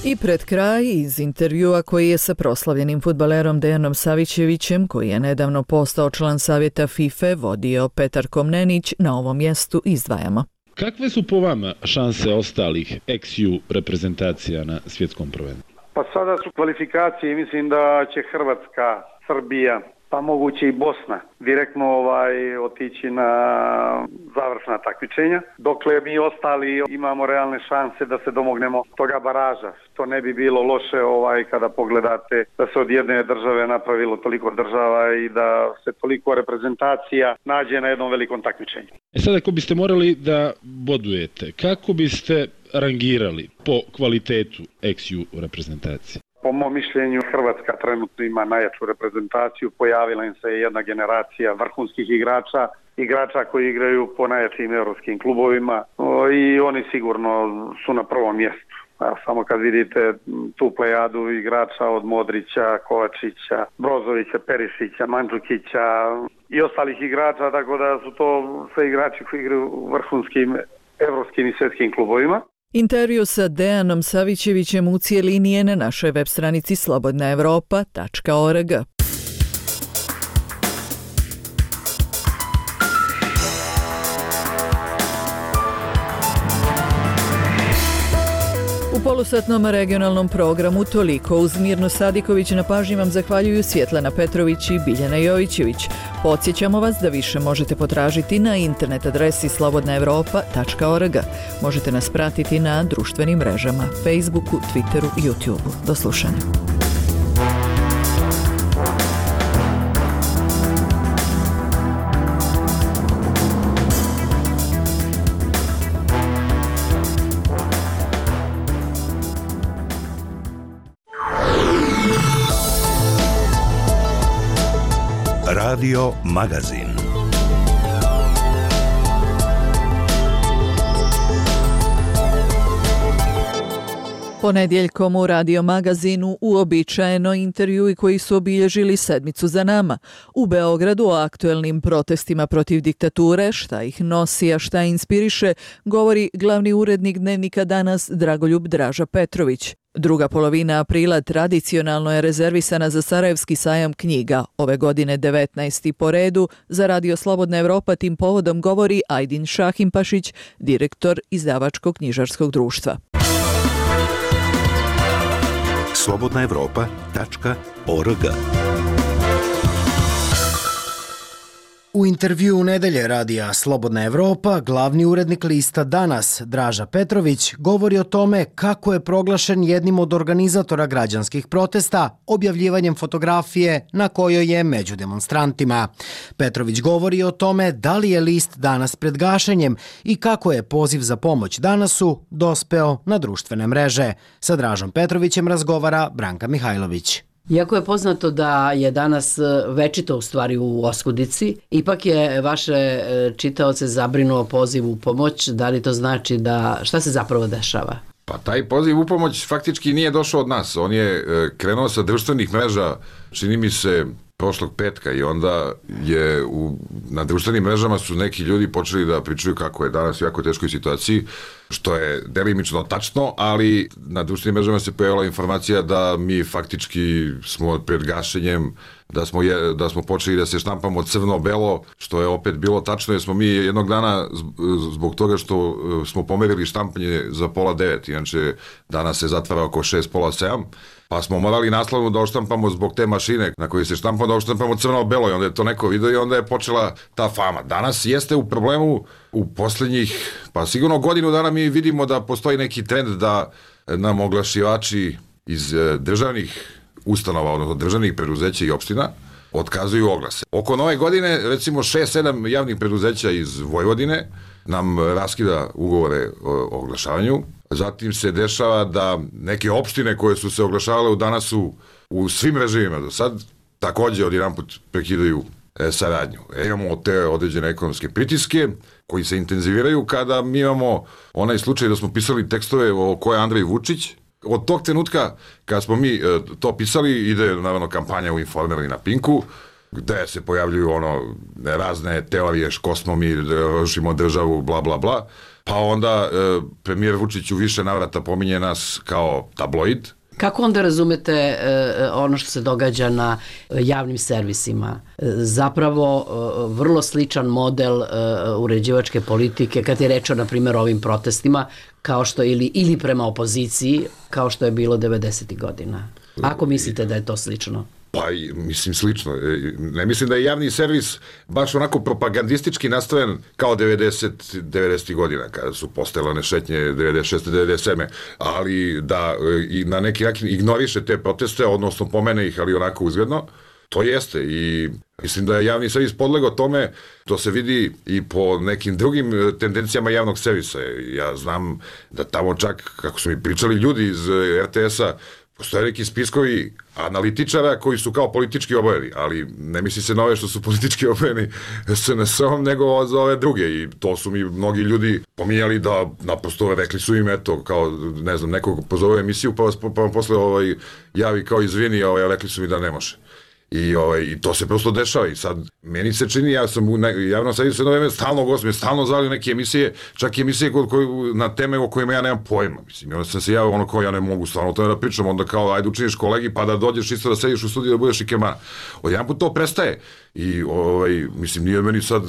I pred kraj iz intervjua koji je sa proslavljenim fudbalerom Dejanom Savićevićem, koji je nedavno postao član savjeta FIFA, vodio Petar Komnenić, na ovom mjestu izdvajamo. Kakve su po vama šanse ostalih ex-ju reprezentacija na svjetskom prvenstvu? Pa sada su kvalifikacije i mislim da će Hrvatska, Srbija, pa moguće i Bosna direktno ovaj otići na završna takmičenja. Dokle mi ostali imamo realne šanse da se domognemo toga baraža. To ne bi bilo loše ovaj kada pogledate da se od jedne države napravilo toliko država i da se toliko reprezentacija nađe na jednom velikom takmičenju. E sad ako biste morali da bodujete, kako biste rangirali po kvalitetu ex-ju reprezentacije? Po mom mišljenju Hrvatska trenutno ima najjaču reprezentaciju, pojavila im se jedna generacija vrhunskih igrača, igrača koji igraju po najjačim europskim klubovima i oni sigurno su na prvom mjestu. A samo kad vidite tu plejadu igrača od Modrića, Kovačića, Brozovića, Perišića, Mandžukića i ostalih igrača, tako da su to sve igrači koji igraju u vrhunskim evropskim i svjetskim klubovima. Intervju sa Dejanom Savićevićem u cijelini je na našoj web stranici slobodna evropa tačka org. U polusatnom regionalnom programu toliko. Uz Mirnu Sadiković na pažnji vam zahvaljuju Svjetlana Petrović i Biljana Jojićević. Podsjećamo vas da više možete potražiti na internet adresi slobodna evropa tačka org. Možete nas pratiti na društvenim mrežama Facebooku, Twitteru i YouTubeu. Do slušanja. Radio Magazin. Ponedjeljkom u Radio Magazinu uobičajeno intervjui koji su obilježili sedmicu za nama. U Beogradu o aktuelnim protestima protiv diktature, šta ih nosi, a šta inspiriše, govori glavni urednik Dnevnika Danas Dragoljub Draža Petrović. Druga polovina aprila tradicionalno je rezervisana za Sarajevski sajam knjiga. Ove godine devetnaesti po redu. Za Radio Slobodna Evropa tim povodom govori Ajdin Šahimpašić, direktor izdavačkog knjižarskog društva. slobodna evropa tačka org. U intervju u nedelje radija Slobodna Evropa, glavni urednik lista Danas, Draža Petrović, govori o tome kako je proglašen jednim od organizatora građanskih protesta objavljivanjem fotografije na kojoj je među demonstrantima. Petrović govori o tome da li je list Danas pred gašenjem i kako je poziv za pomoć Danasu dospeo na društvene mreže. Sa Dražom Petrovićem razgovara Branka Mihajlović. Iako je poznato da je danas večito u stvari u oskudici, ipak je vaše čitaoce zabrinuo poziv u pomoć. Da li to znači da šta se zapravo dešava? Pa taj poziv u pomoć faktički nije došao od nas. On je krenuo sa društvenih mreža, čini mi se, prošlog petka i onda je u, na društvenim mrežama su neki ljudi počeli da pričaju kako je danas u jako teškoj situaciji, što je delimično tačno, ali na društvenim mrežama se pojavila informacija da mi faktički smo pred gašenjem, da smo, je, da smo počeli da se štampamo crno-belo, što je opet bilo tačno, jer smo mi jednog dana zbog toga što smo pomerili štampanje za pola devet, inače danas se zatvara oko šest, pola sedam, pa smo morali naslovno da oštampamo zbog te mašine na kojoj se štampamo, da oštampamo crno-belo i onda je to neko video i onda je počela ta fama. Danas jeste u problemu u posljednjih, pa sigurno godinu dana mi vidimo da postoji neki trend da nam oglašivači iz državnih ustanova, odnosno državnih preduzeća i opština, otkazuju oglase. Oko nove godine, recimo šest sedam javnih preduzeća iz Vojvodine nam raskida ugovore o oglašavanju. Zatim se dešava da neke opštine koje su se oglašavale u Danasu u svim režimima do sad, također odjedanput prekidaju e, saradnju. E, imamo te određene ekonomske pritiske koji se intenziviraju kada mi imamo onaj slučaj da smo pisali tekstove o ko je Andrej Vučić. Od tog trenutka kada smo mi e, to pisali, ide naravno kampanja u Informeru i na Pinku, gde se pojavljuju ono razne teorije ško smo mi, rušimo državu, bla bla bla. Pa onda e, premijer Vučić u više navrata pominje nas kao tabloid. Kako onda razumete e, ono što se događa na javnim servisima? E, zapravo e, vrlo sličan model e, uređivačke politike kad je reč o, na primjer, ovim protestima, kao što ili, ili prema opoziciji, kao što je bilo devedesetih godina. Ako mislite da je to slično? Pa, mislim, slično. Ne mislim da je javni servis baš onako propagandistički nastaven kao devedeset devedesetih godina, kada su postojale one šetnje devedeset šeste devedeset sedme ali da i na neki način ignoriše te proteste, odnosno pomene ih, ali onako uzgledno, to jeste. I mislim da je javni servis podlegao tome, to se vidi i po nekim drugim tendencijama javnog servisa. Ja znam da tamo čak, kako su mi pričali ljudi iz er te esa, postoje neki spiskovi analitičara koji su kao politički obojeni, ali ne misli se na ove što su politički obojeni es en es-om, nego za ove druge. I to su mi mnogi ljudi pominjali da naprosto rekli su im, eto, kao, ne znam, nekog pozove emisiju, pa vas pa vam posle ovaj, javi kao izvini, ovaj, rekli su mi da ne može. I, ovaj, I to se prosto dešava i sad meni se čini, ja sam u javnom servisu jedno vreme stalno gostim, stalno zvali neke emisije, čak i emisije kod, koj, na teme o kojima ja nemam pojma, mislim, i onda sam se javio ono kao ja ne mogu stvarno o tome da pričam, onda kao ajde učiniš kolegi pa da dođeš isto da sediš u studiju da budeš i kemana. Od jedan put to prestaje i ovaj, mislim nije meni sad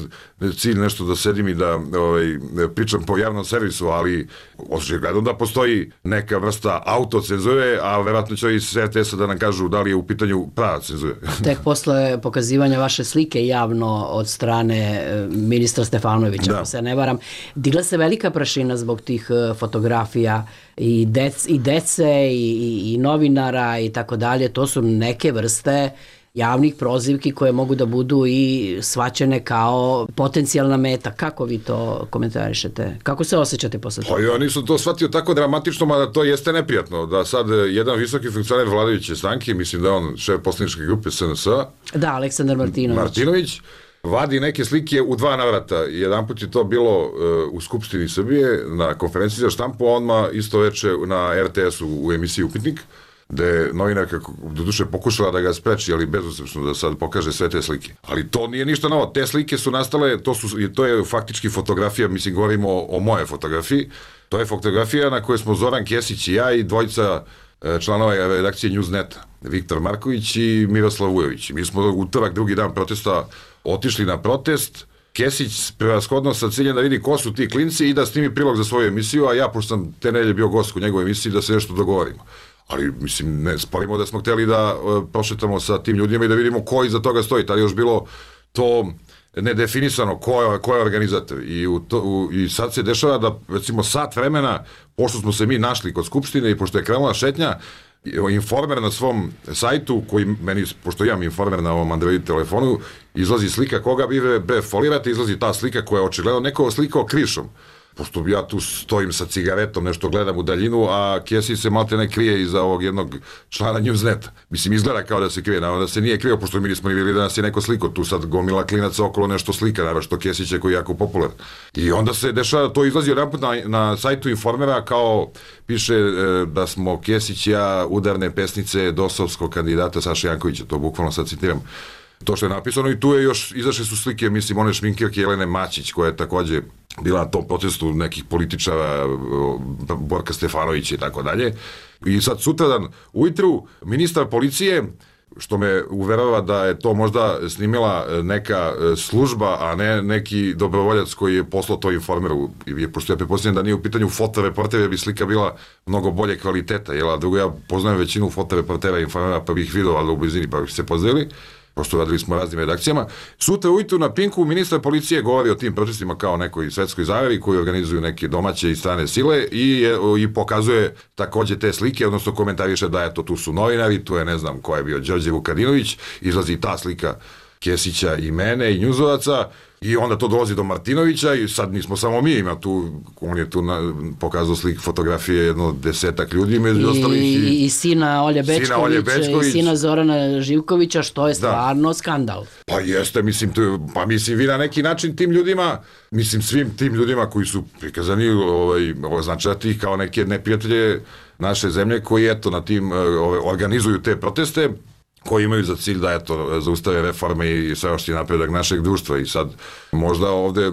cilj nešto da sedim i da ovaj, pričam po javnom servisu, ali očigledno da postoji neka vrsta autocenzure, a verovatno će iz R T S-a da nam kažu da li je u pitanju prava cenzure. Tek posle pokazivanja vaše slike javno od strane ministra Stefanovića, ako se ne varam, digla se velika prašina zbog tih fotografija i, dec, i dece i, i, i novinara i tako dalje. To su neke vrste javnih prozivki koje mogu da budu i shvaćene kao potencijalna meta. Kako vi to komentarišete? Kako se osjećate posle toga? Pa ja nisam to shvatio tako dramatično, mada to jeste neprijatno. Da sad jedan visoki funkcioner vladajuće stranke, mislim da je on šef poslaničke grupe S N S-a, da, Aleksandar Martinović. Martinović, vadi neke slike u dva navrata. Jedan put je to bilo uh, u Skupštini Srbije, na konferenciji za štampu, a odmah isto veče na R T S-u u emisiji Upitnik, gde je novinarka doduše pokušala da ga spreči, ali bezuspešno da sad pokaže sve te slike. Ali to nije ništa novo. Te slike su nastale, to, su, to je faktički fotografija, mislim govorimo o, o moje fotografiji, to je fotografija na kojoj smo Zoran Kesić i ja i dvojica članova redakcije Newsneta, Viktor Marković i Miroslav Vujović. Mi smo utorak, drugi dan protesta, otišli na protest, Kesić prevashodno sa ciljem da vidi ko su ti klinci i da snimi prilog za svoju emisiju, a ja, pošto sam te nedelje bio gost u njegovoj emisiji, da se nešto dogovorimo. Ali, mislim, ne sporimo da smo hteli da uh, prošetamo sa tim ljudima i da vidimo ko iza toga stoji. Tada je još bilo to nedefinisano ko je, ko je organizator. I, u to, u, I sad se dešava da, recimo, sat vremena, pošto smo se mi našli kod Skupštine i pošto je krenula šetnja, Informer na svom sajtu, koji meni, pošto imam Informer na ovom Android telefonu, izlazi slika koga vi be folirate, izlazi ta slika koja je očigledno neko slikao krišom. Pošto ja tu stojim sa cigaretom, nešto gledam u daljinu, a Kesić se malte ne krije iza ovog jednog člana Newsneta. Mislim, izgleda kao da se krije, naravno da se nije krio, pošto mi nismo ni vidjeli da nas je neko sliko. Tu sad gomila klinaca okolo nešto slika, naravno što Kesić je koji je jako popularan. I onda se dešava, to izlazi jedanput na, na sajtu Informera, kao piše e, da smo Kesić i ja udarne pesnice dosovskog kandidata Saše Jankovića, to bukvalno sad citiram. To što je napisano i tu je još, izašle su slike, mislim, one šminkirke Jelene Mačić, koja je takođe bila na tom protestu nekih političara, Borka Stefanovića i tako dalje. I sad sutradan ujutru ministar policije, što me uverava da je to možda snimila neka služba, a ne neki dobrovoljac koji je poslao to Informeru, pošto ja prepostavljam da nije u pitanju fotoreportera, bi slika bila mnogo bolje kvaliteta, jel, a drugo ja poznajem većinu fotoreportera Informera, pa bih vidio, ali u blizini, pa bih se pozdravili, pošto radili smo raznim redakcijama. Sutra ujutru na Pinku ministar policije govori o tim protestima kao nekoj svetskoj zajavi koji organizuju neke domaće i strane sile i, i pokazuje takođe te slike, odnosno komentariše da eto tu su novinari, tu je ne znam ko je bio Đorđe Vukadinović, izlazi ta slika Kesića i mene i Njuzovaca i onda to dolazi do Martinovića i sad nismo samo mi, ima tu, on je tu na, pokazao slik fotografije jedno desetak ljudi među ostalih i, i, i sina Olje Bečković, sina Olje Bečković i sina Zorana Živkovića, što je stvarno da. skandal. Pa jeste, mislim, tu, pa mislim vi na neki način tim ljudima, mislim svim tim ljudima koji su prikazani ovaj, označati ih kao neke neprijatelje naše zemlje koji eto na tim ovaj, organizuju te proteste, koji imaju za cilj da eto zaustave reforme i sveopšti napredak našeg društva i sad možda ovde e,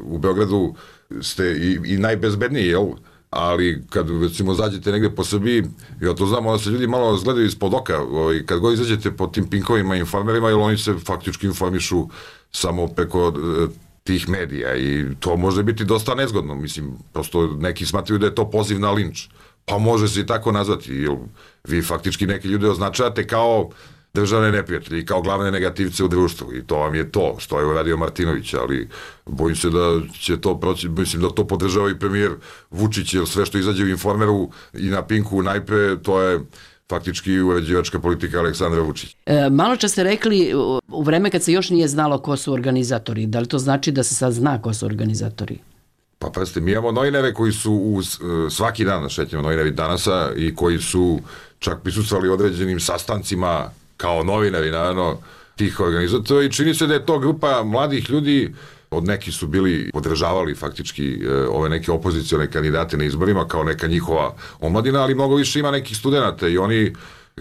u Beogradu ste i, i najbezbedniji, jel? Ali kad recimo zađete negde po Srbiji, ja to znam, onda se ljudi malo zgledaju ispod oka, ovaj, kad god izađete po tim Pinkovima i Informerima, jer oni se faktički informišu samo preko e, tih medija i to može biti dosta nezgodno, mislim, prosto neki smatraju da je to poziv na linč. Pa može se i tako nazvati, jer vi faktički neke ljude označavate kao državne neprijatelje i kao glavne negativce u društvu i to vam je to što je uradio Martinović, ali bojim se da će to proći, mislim da to podržava i premijer Vučić, jer sve što izađe u Informeru i na Pinku najpre, to je faktički uređivačka politika Aleksandra Vučića. E, malo čas ste rekli u vreme kad se još nije znalo ko su organizatori, da li to znači da se sad zna ko su organizatori? Pa pazite, mi imamo novinare koji su u, svaki dan na šetnjama novinari Danasa i koji su čak prisustvovali određenim sastancima kao novinari, naravno, tih organizatora i čini se da je to grupa mladih ljudi, od neki su bili, podržavali faktički ove neke opozicione kandidate na izborima kao neka njihova omladina, ali mnogo više ima nekih studenta i oni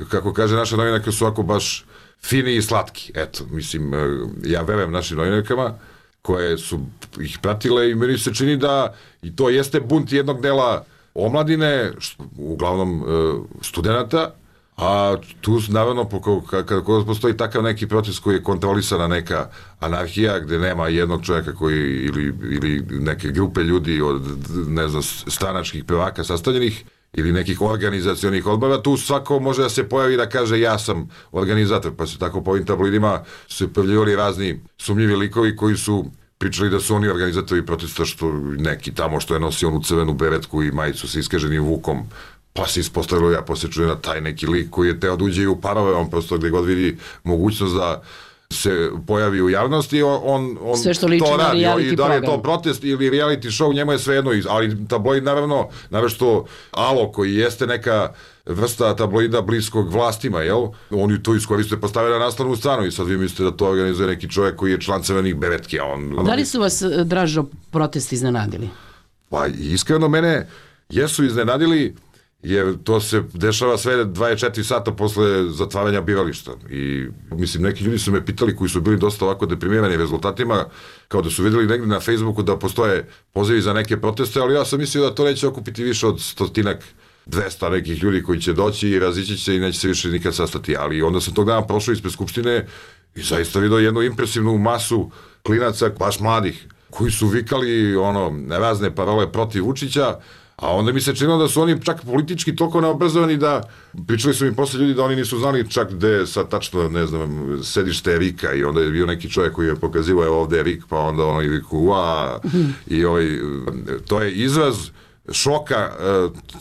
kako kaže naša novinarka, su ovako baš fini i slatki. Eto, mislim, ja verujem našim novinarkama koje su ih pratile i meni se čini da i to jeste bunt jednog dela omladine, uglavnom studenta, a tu naravno kada postoji takav neki proces koji je kontrolisana neka anarhija gde nema jednog čovjeka koji ili, ili neke grupe ljudi od ne znam stranačkih prvaka sastavljenih ili nekih organizacionih odbora, tu svako može da se pojavi da kaže ja sam organizator, pa se tako po ovim tabloidima su pojavljivali razni sumnjivi likovi koji su pričali da su oni organizatori protesta, što neki tamo što je nosio onu crvenu beretku i majicu sa iskaženim vukom, pa se ispostavilo, ja posle čujem na taj neki lik koji je teo da uđe u parove, on prosto gde god vidi mogućnost da se pojavi u javnosti, on, on sve što liči to na radi. reality I da li je to program. protest ili reality show, njemu je svejedno, ali tabloid naravno, naravno Alo, koji jeste neka vrsta tabloida bliskog vlastima, jel? Oni to iskoriste, postave na naslovnu stranu i sad vi mislite da to organizuje neki čovjek koji je član crvenih beretki, a on... Da li su vas, Dražo, protesti iznenadili? Pa iskreno mene jesu iznenadili, jer to se dešava sve dvadeset četiri sata posle zatvaranja birališta. I mislim, neki ljudi su me pitali koji su bili dosta ovako deprimirani rezultatima, kao da su vidjeli negdje na Facebooku da postoje pozivi za neke proteste, ali ja sam mislio da to neće okupiti više od stotinak, dvesta nekih ljudi koji će doći i razići će i neće se više nikad sastati. Ali onda sam tog dana prošao ispred Skupštine i zaista vidio jednu impresivnu masu klinaca, baš mladih, koji su vikali ono, razne parole protiv Vučića. A onda mi se činilo da su oni čak politički toliko neobrazovani da, pričali su mi posle ljudi da oni nisu znali čak gde je sad tačno, ne znam, sedište Rika i onda je bio neki čovjek koji je pokazivao evo ovde je Rik, pa onda ono i Riku, ua, i ovaj, to je izraz šoka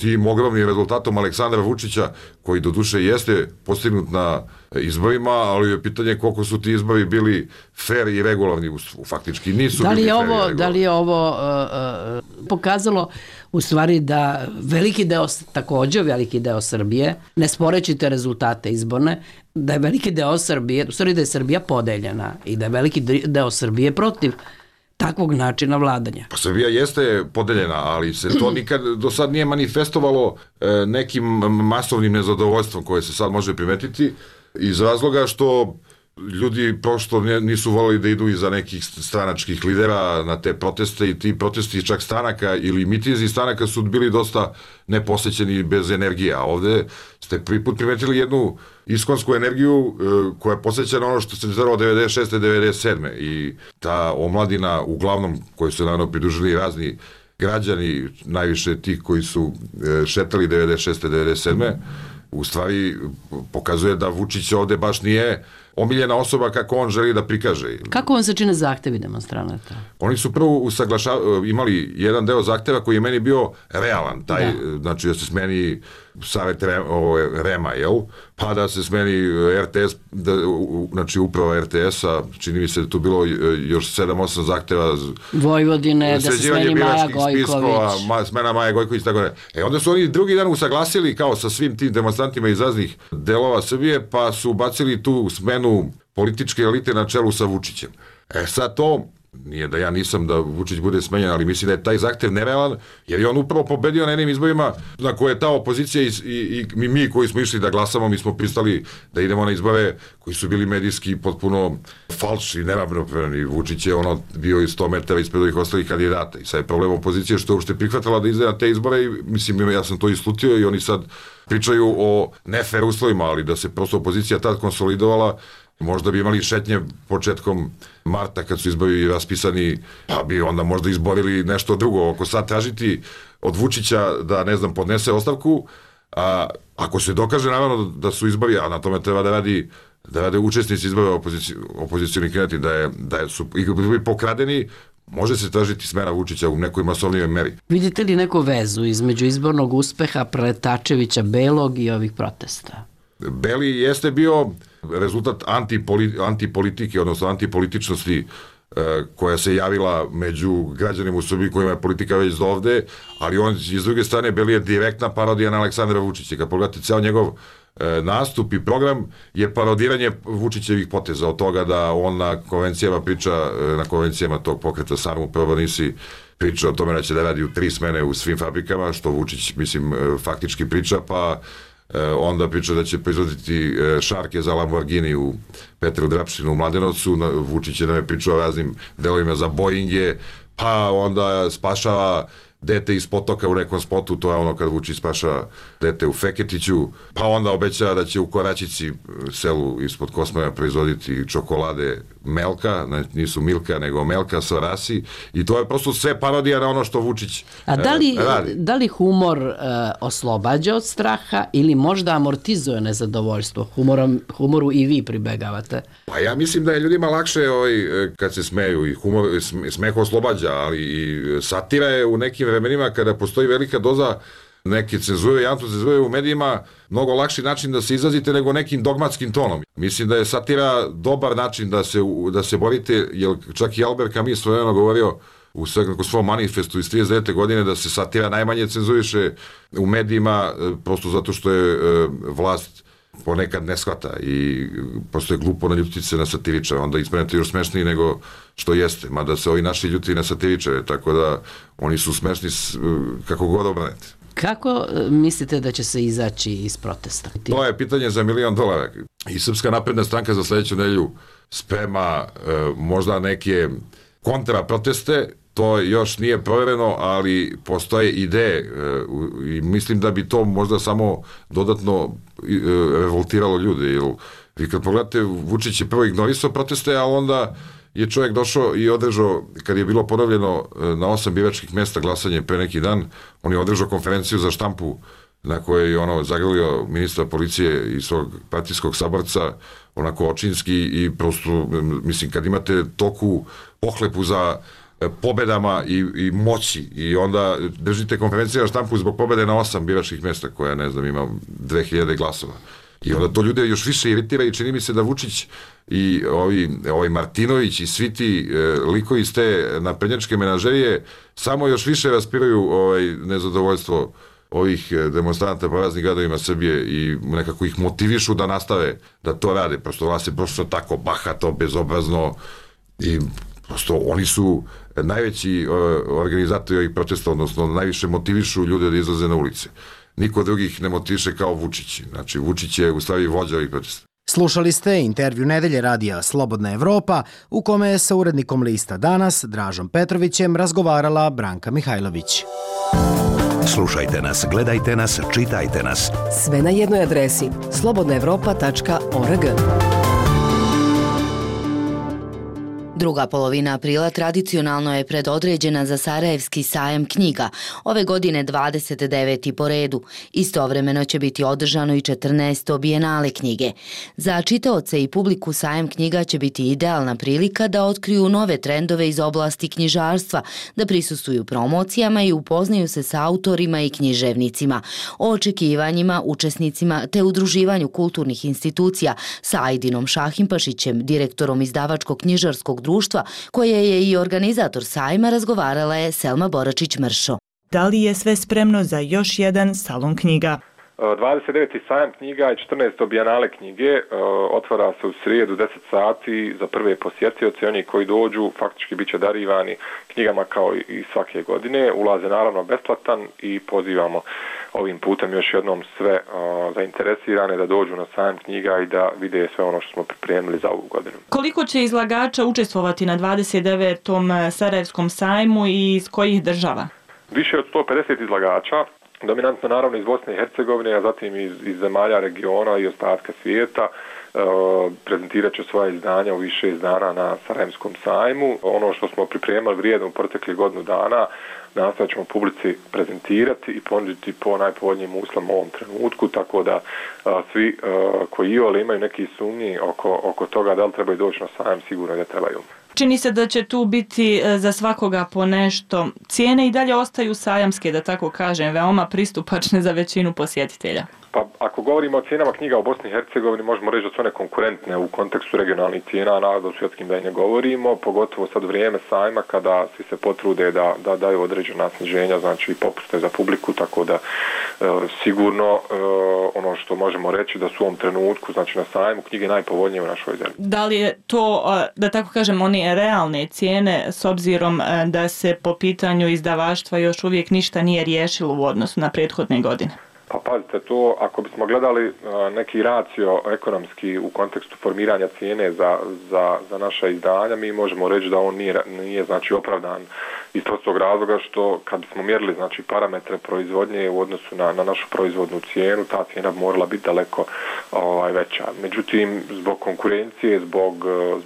tim ogromnim rezultatom Aleksandra Vučića, koji doduše jeste postignut na izborima, ali je pitanje koliko su ti izbori bili fair i regularni, faktički nisu da li bili je fair ovo, i regularni. Da li je ovo uh, uh, pokazalo u stvari da veliki deo, takođe veliki deo Srbije, ne sporeći te rezultate izborne, da je veliki deo Srbije, u stvari da je Srbija podeljena i da je veliki deo Srbije protiv takvog načina vladanja. Pa Srbija jeste podeljena, ali se to nikad do sad nije manifestovalo e, nekim masovnim nezadovoljstvom koje se sad može primetiti iz razloga što ljudi prosto nisu voleli da idu iza nekih stranačkih lidera na te proteste i ti protesti čak stranaka ili mitinzi stranaka su bili dosta neposećeni bez energije, a ovde ste prvi put primetili jednu iskonsku energiju e, koja je posvećena ono što se dešavalo devedeset šeste devedeset sedme i ta omladina uglavnom koju su naravno pridružili razni građani, najviše ti koji su e, šetali devedeset šeste devedeset sedme u stvari pokazuje da Vučić ovde baš nije omiljena osoba kako on želi da prikaže. Kako vam se čine zahtevi demonstranata? Oni su prvo usaglaša, imali jedan deo zahteva koji je meni bio realan, taj, da. Znači da se smeni Savet Rema, jel? Pa da se smeni R T S, da, znači uprava R T S-a, čini mi se da tu bilo još sedam osam zahteva Vojvodine, da se smeni Maja Gojković. Ma, smena Maja Gojković, tako da. E onda su oni drugi dan usaglasili kao sa svim tim demonstrantima iz raznih delova Srbije, pa su bacili tu smenu političke elite na čelu sa Vučićem. E sad to, nije da ja nisam da Vučić bude smenjen, ali mislim da je taj zahtev nerealan, jer je on upravo pobedio na jednim izborima na koje je ta opozicija i, i, i mi koji smo išli da glasamo, mi smo pristali da idemo na izbore koji su bili medijski potpuno falš i neravnopravni. Vučić je ono bio i sto metara ispred ovih ostalih kandidata i sad je problem opozicije što je uopšte prihvatala da ide na te izbore i mislim ja sam to islutio i oni sad pričaju o nefer uslovima, ali da se prosto opozicija tad konsolidovala, možda bi imali šetnje početkom marta kad su izbori raspisani, pa bi onda možda izborili nešto drugo. Ako sad tražiti od Vučića da, ne znam, podnese ostavku, a ako se dokaže naravno da su izbori, a na tome treba da radi da rade učesnici izbora opozici, opozicioni kandidati, da, je, da su pokradeni, može se tražiti smena Vučića u nekoj masovnijoj meri. Vidite li neku vezu između izbornog uspeha Preletačevića Belog i ovih protesta? Beli jeste bio rezultat antipoli, antipolitike, odnosno antipolitičnosti e, koja se javila među građanima u Srbiji kojima je politika već do ovde, ali on iz druge strane Beli je direktna parodija na Aleksandra Vučića. Kad pogledate ceo njegov e, nastup i program je parodiranje Vučićevih poteza, od toga da on na konvencijama priča, na konvencijama tog pokreta Samo prvo nisi priča o tome da će da radi u tri smene u svim fabrikama, što Vučić, mislim, faktički priča, pa onda priča da će proizvoditi šarke za Lamborghini u Petru Drapšinu u Mladenovcu, Vučić je nam je pričao o raznim delovima za Boeinge, pa onda spašava dete iz potoka u nekom spotu, to je ono kad Vučić spašava dete u Feketiću, pa onda obećava da će u Koračici, selu ispod Kosmara, proizvoditi čokolade Melka, nisu Milka, nego Melka sa rasi, i to je prosto sve parodija na ono što Vučić A da li, radi. Da li humor uh, oslobađa od straha ili možda amortizuje nezadovoljstvo? Humorom, humoru i vi pribegavate. Pa ja mislim da je ljudima lakše ovaj, kad se smeju, i humor, smeh oslobađa, ali i satira je u nekim vremenima kada postoji velika doza neke cenzure i antocenzure u medijima mnogo lakši način da se izrazite nego nekim dogmatskim tonom. Mislim da je satira dobar način da se, da se borite, jer čak i Albert Camus svojeno govorio u svom manifestu iz trideset devete godine da se satira najmanje cenzuriše u medijima, prosto zato što je vlast ponekad ne shvata i prosto je glupo naljutiti se na satiričare, onda ispravite još smešniji nego što jeste, mada se ovi naši ljuti na satiričare, tako da oni su smešni kako god obranete. Kako mislite da će se izaći iz protesta? To je pitanje za milion dolara. I Srpska napredna stranka za sledeću nedelju sprema e, možda neke kontra proteste, to još nije provereno, ali postoje ideje e, i mislim da bi to možda samo dodatno e, revoltiralo ljude. Jer vi kad pogledate, Vučić je prvo ignorisao proteste, a onda je čovjek došao i održao, kad je bilo ponovljeno na osam biračkih mjesta glasanje pre neki dan, on je održao konferenciju za štampu na kojoj je ono zagrlio ministra policije i svog partijskog saborca, onako očinski, i prosto, mislim, kad imate toku pohlepu za pobedama i, i moći i onda držite konferenciju za štampu zbog pobede na osam biračkih mjesta koja, ne znam, ima dve hiljade glasova. I onda to ljude još više iritira i čini mi se da Vučić i ovi, ovaj Martinović i svi ti e, likovi iz te naprednjačke menažerije samo još više raspiruju ovaj, nezadovoljstvo ovih demonstranta po raznim gradovima Srbije i nekako ih motivišu da nastave da to rade. Prosto vas je prosto tako bahato, bezobrazno i prosto oni su najveći organizatori ovih protesta, odnosno najviše motivišu ljude da izlaze na ulice. Niko drugih ne motiviše kao Vučić. Znači, Vučić je u stvari vođa ovih protesta. Slušali ste intervju nedelje radija Slobodna Evropa, u kome je sa urednikom lista Danas, Dražom Petrovićem, razgovarala Branka Mihajlović. Slušajte nas, gledajte nas, čitajte nas. Sve na jednoj adresi slobodna evropa tačka org. Druga polovina aprila tradicionalno je predodređena za Sarajevski sajam knjiga, ove godine dvadeset deveti po redu. Istovremeno će biti održano i četrnaesto bijenale knjige. Za čitaoce i publiku sajam knjiga će biti idealna prilika da otkriju nove trendove iz oblasti knjižarstva, da prisustvuju promocijama i upoznaju se sa autorima i književnicima, o očekivanjima, učesnicima te udruživanju kulturnih institucija sa Ajdinom Šahimpašićem, direktorom izdavačkog knjižarskog društva, koje je i organizator sajma, razgovarala je Selma Boračić-Mršo. Da li je sve spremno za još jedan salon knjiga? dvadeset deveti sajam knjiga i četrnaesto bijenale knjige otvara se u srijedu deset sati za prve posjetioce. Oni koji dođu faktički bit će darivani knjigama kao i svake godine. Ulaz je naravno besplatan i pozivamo ovim putem još jednom sve uh, zainteresirane da dođu na sajam knjiga i da vide sve ono što smo pripremili za ovu godinu. Koliko će izlagača učestvovati na dvadeset devetom Sarajevskom sajmu i iz kojih država? Više od sto pedeset izlagača, dominantno naravno iz Bosne i Hercegovine, a zatim iz, iz zemalja regiona i ostatka svijeta. Uh, prezentirat će svoje izdanja u više izdana na Sarajevskom sajmu. Ono što smo pripremali vrijedno u proteklih godinu dana nastavit ćemo publici prezentirati i ponuditi po najpovoljnijim uslovima u ovom trenutku, tako da a, svi a, koji iole imaju neki sumnji oko, oko toga da li trebaju doći na sajam, sigurno da trebaju. Čini se da će tu biti za svakoga po nešto. Cijene i dalje ostaju sajamske, da tako kažem, veoma pristupačne za većinu posjetitelja. Pa ako govorimo o cijenama knjiga u Bosni i Hercegovini, možemo reći da su one konkurentne u kontekstu regionalnih cijena, naravno u svjetskim da i ne govorimo, pogotovo sad vrijeme sajma kada svi se potrude da, da daju određena sniženja, znači i popuste za publiku, tako da e, sigurno e, ono što možemo reći da su u ovom trenutku, znači na sajmu, knjige najpovoljnije u našoj zemlji. Da li je to, da tako kažem, one realne cijene s obzirom da se po pitanju izdavaštva još uvijek ništa nije riješilo u odnosu na prethodne godine? Pa pazite, to ako bismo gledali neki racio ekonomski u kontekstu formiranja cijene za, za, za naša izdanja, mi možemo reći da on nije, nije znači opravdan iz prostog razloga što kad bismo mjerili znači parametre proizvodnje u odnosu na, na našu proizvodnu cijenu, ta cijena bi morala biti daleko ovaj, veća. Međutim, zbog konkurencije, zbog,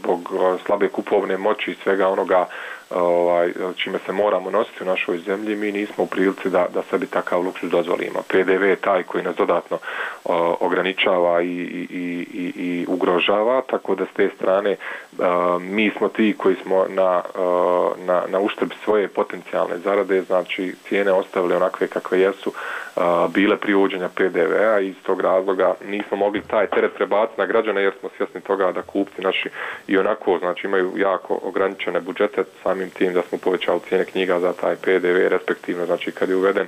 zbog slabe kupovne moći i svega onoga ovaj, čime se moramo nositi u našoj zemlji, mi nismo u prilici da, da sebi takav luksuz dozvolimo. P D V je taj koji nas dodatno o, ograničava i, i, i, i ugrožava, tako da s te strane a, mi smo ti koji smo na, a, na, na uštrb svoje potencijalne zarade, znači cijene ostavili onakve kakve jesu, a, bile prije uvođenja P D V-a i iz tog razloga nismo mogli taj teret prebaciti na građane jer smo svjesni toga da kupci naši i onako znači imaju jako ograničene budžete, samim tim da smo povećali cijene knjiga za taj P D V, respektivno, znači kad je uveden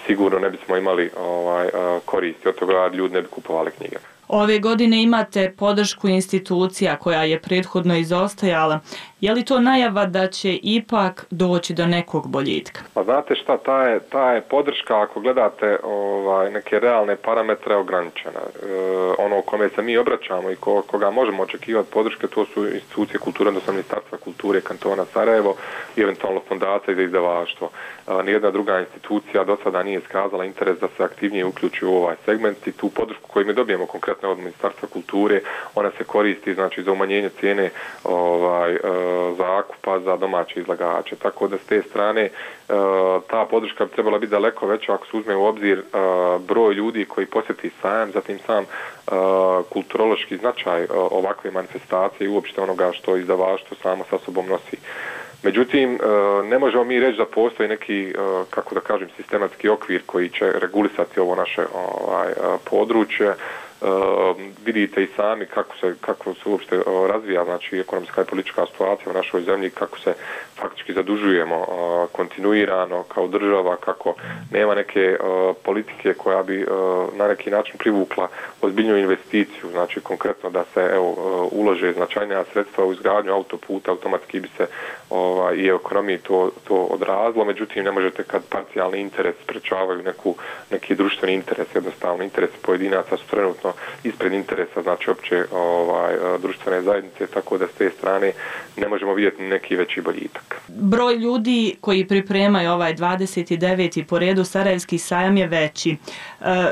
sigurno ne bismo imali ovaj, koristi od toga, ljudi ne bi kupovali knjige. Ove godine imate podršku institucija koja je prethodno izostajala. Je li to najava da će ipak doći do nekog boljitka? Pa znate šta, ta je, ta je podrška, ako gledate ovaj, neke realne parametre, ograničena. E, ono kome se mi obraćamo i ko, koga možemo očekivati podrške, to su institucije kulture, odnosno Ministarstva kulture kantona Sarajevo i eventualno fondacija za izdavaštvo. E, nijedna druga institucija do sada nije iskazala interes da se aktivnije uključi u ovaj segment i tu podršku koju mi dobijemo konkretno od Ministarstva kulture, ona se koristi znači za umanjenje cijene ovaj, e, zakupa za domaće izlagače. Tako da s te strane e, ta podrška bi trebala biti daleko veća ako se uzme u obzir e, broj ljudi koji posjeti sajam, zatim sam e, kulturološki značaj e, ovakve manifestacije i uopšte onoga što izdavaštvo samo sa sobom nosi. Međutim, ne možemo mi reći da postoji neki, kako da kažem, sistematski okvir koji će regulisati ovo naše ovaj, područje. Uh, vidite i sami kako se, kako se uopšte uh, razvija znači ekonomska i politička situacija u našoj zemlji, kako se faktički zadužujemo uh, kontinuirano kao država, kako nema neke uh, politike koja bi uh, na neki način privukla ozbiljnu investiciju, znači konkretno da se evo uh, ulože značajnija sredstva u izgradnju autoputa, automatski bi se ovaj, i ekonomiji to, to odrazilo, međutim ne možete kad parcijalni interes sprečavaju neku, neki društveni interes, jednostavno interes pojedinaca su trenutno ispred interesa, znači opće ovaj, društvene zajednice, tako da s te strane ne možemo vidjeti neki veći boljitak. Broj ljudi koji pripremaju ovaj dvadeset deveti po redu Sarajevski sajam je veći. E,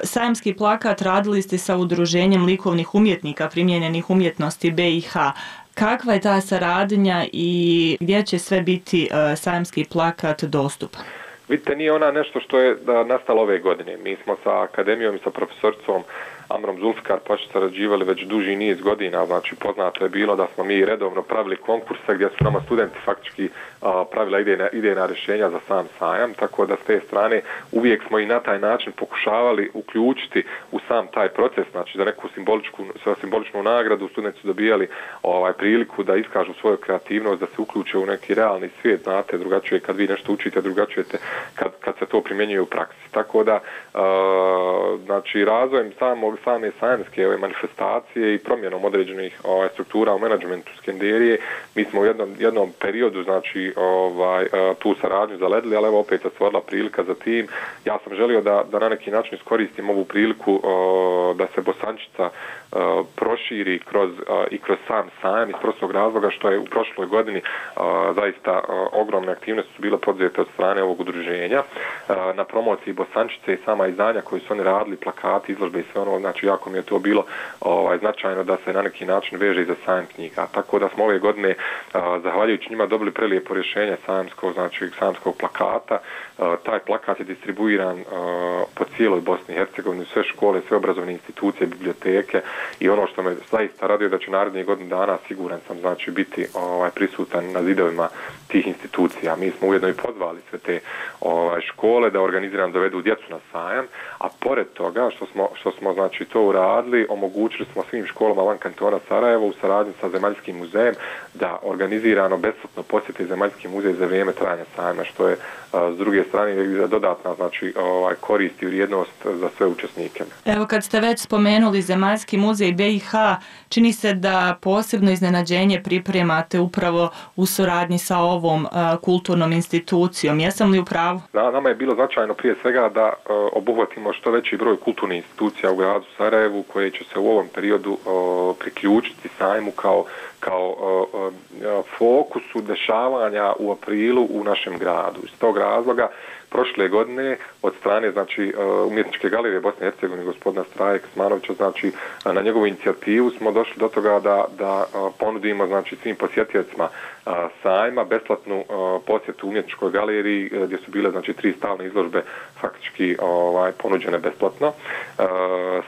sajamski plakat radili ste sa Udruženjem likovnih umjetnika primijenjenih umjetnosti B i H. Kakva je ta saradnja i gdje će sve biti e, sajamski plakat dostupan? Vidite, nije ona nešto što je da, nastalo ove godine. Mi smo sa akademijom i sa profesoricom Amrom Zulfikar Pašić sarađivali već duži niz godina, znači poznato je bilo da smo mi redovno pravili konkurse gdje su nama studenti faktički a, pravila idejna, idejna rješenja za sam sajam, tako da s te strane uvijek smo i na taj način pokušavali uključiti u sam taj proces, znači za neku simboličku, simboličnu nagradu studenti su dobijali ovaj, priliku da iskažu svoju kreativnost, da se uključe u neki realni svijet, znate, drugačije kad vi nešto učite, drugačijete kad, kad se to primjenjuje u praksi. Tako da, a, znači razvojem samog same sajamske ove manifestacije i promjenom određenih ovaj, struktura u menadžmentu Skenderije, mi smo u jednom, jednom periodu znači ovaj, tu saradnju zaledili, ali evo opet se stvorila prilika za tim. Ja sam želio da, da na neki način iskoristim ovu priliku o, da se Bosančica o, proširi kroz, o, i kroz sam sajam iz prostog razloga što je u prošloj godini o, zaista o, ogromne aktivnosti su bile podzete od strane ovog udruženja o, na promociji Bosančice i sama izdanja koji su oni radili, plakati, izložbe i sve ono, znači jako mi je to bilo ovaj, značajno da se na neki način veže i za sajam knjiga. Tako da smo ove godine, a, zahvaljujući njima, dobili prelijepo rješenje sajamskog, znači sajamskog plakata. A, taj plakat je distribuiran a, po cijeloj Bosni i Hercegovini, sve škole, sve obrazovne institucije, biblioteke i ono što me zaista raduje da će narednih godinu dana, siguran sam, znači biti ovaj, prisutan na zidovima tih institucija. Mi smo ujedno i pozvali sve te ovaj, škole da organizirano dovedu djecu na sajam, a pored toga što smo, što smo znači znači to uradili, omogućili smo svim školama van kantona Sarajevo u saradnji sa Zemaljskim muzejem da organizirano besplatno posjeti Zemaljski muzej za vrijeme trajanja sajma, što je s druge strane dodatna znači ovaj korist i vrijednost za sve učesnike. Evo kad ste već spomenuli Zemaljski muzej B i H, čini se da posebno iznenađenje pripremate upravo u suradnji sa ovom uh, kulturnom institucijom. Jesam li u pravu? Da, nama je bilo značajno prije svega da uh, obuhvatimo što veći broj kulturnih institucija u gradu Sarajevu koje će se u ovom periodu uh, priključiti sajmu kao kao uh, uh, fokusu dešavanja u aprilu u našem gradu. Iz tog razloga prošle godine od strane znači umjetničke galerije Bosne i Hercegovine gospodina Straje Kosmanovića, znači na njegovu inicijativu smo došli do toga da da ponudimo znači svim posjetiocima sajma besplatnu posjetu umjetničkoj galeriji gdje su bile znači tri stalne izložbe faktički ovaj ponuđene besplatno.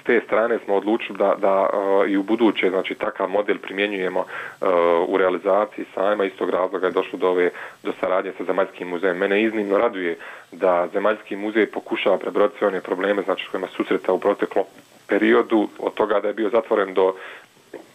S te strane smo odlučili da da i u buduće znači takav model primjenjujemo u realizaciji sajma. Istog razloga je došlo do ove do saradnje sa Zemaljskim muzejem. Mene iznimno raduje da Zemaljski muzej pokušava prebroditi sve one probleme znači s kojima susreta u proteklom periodu, od toga da je bio zatvoren do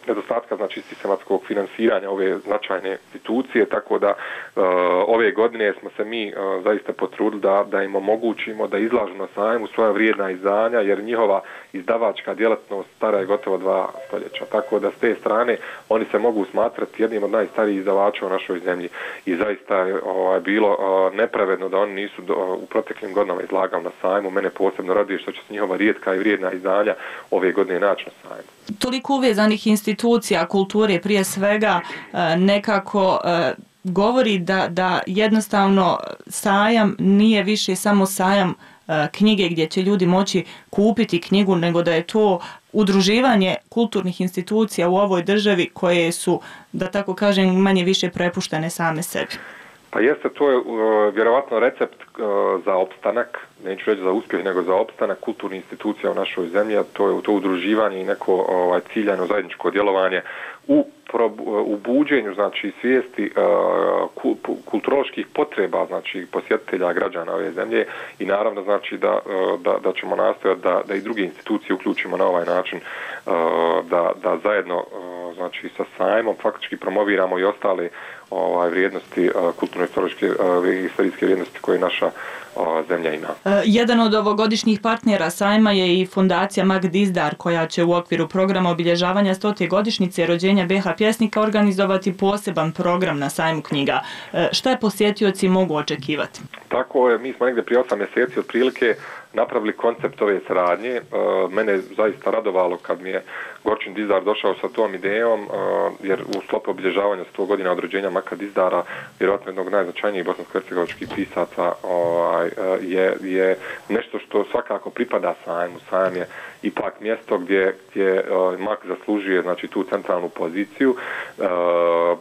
nedostatka znači sistematskog finansiranja ove značajne institucije, tako da uh, ove godine smo se mi uh, zaista potrudili da, da im omogućimo da izlažu na sajmu svoja vrijedna izdanja, jer njihova izdavačka djelatnost stara je gotovo dva stoljeća, tako da s te strane oni se mogu smatrati jednim od najstarijih izdavača u našoj zemlji i zaista je uh, bilo uh, nepravedno da oni nisu do, uh, u proteklim godinama izlagali na sajmu. Mene posebno raduje što će se njihova rijetka i vrijedna izdanja ove godine naći na sajmu. Toliko uvezanih institucija kulture prije svega nekako govori da, da jednostavno sajam nije više samo sajam knjige gdje će ljudi moći kupiti knjigu, nego da je to udruživanje kulturnih institucija u ovoj državi koje su, da tako kažem, manje više prepuštene same sebi. Pa jeste, to je uh, vjerovatno recept uh, za opstanak, neću reći za uspjeh, nego za opstanak kulturnih institucija u našoj zemlji, a to je to udruživanje i neko ovaj, ciljano zajedničko djelovanje u, prob, u buđenju znači, svijesti uh, kulturoloških potreba znači, posjetitelja građana ove zemlje i naravno znači, da, uh, da, da ćemo nastojati da, da i druge institucije uključimo na ovaj način, uh, da, da zajedno uh, znači, sa sajmom faktički promoviramo i ostale ovaj vrijednosti kulturno-istorijske istorijske vrijednosti koje naša o, zemlja ima. Jedan od ovogodišnjih partnera sajma je i fondacija Mag Dizdar, koja će u okviru programa obilježavanja stote godišnjice rođenja B H pjesnika organizovati poseban program na sajmu knjiga. Šta je posjetioci mogu očekivati? Tako je, mi smo negdje prije osam mjeseci otprilike napravili koncept ove saradnje. Mene je zaista radovalo kad mi je Gorčin Dizdar došao sa tom idejom, jer u sklopu obilježavanja sto godina od rođenja Maka Dizdara, vjerojatno jednog najznačajnijih bosansko-hercegovačkih pisaca, je, je nešto što svakako pripada sajmu. Sajam je ipak mjesto gdje, gdje Mak zaslužuje znači, tu centralnu poziciju.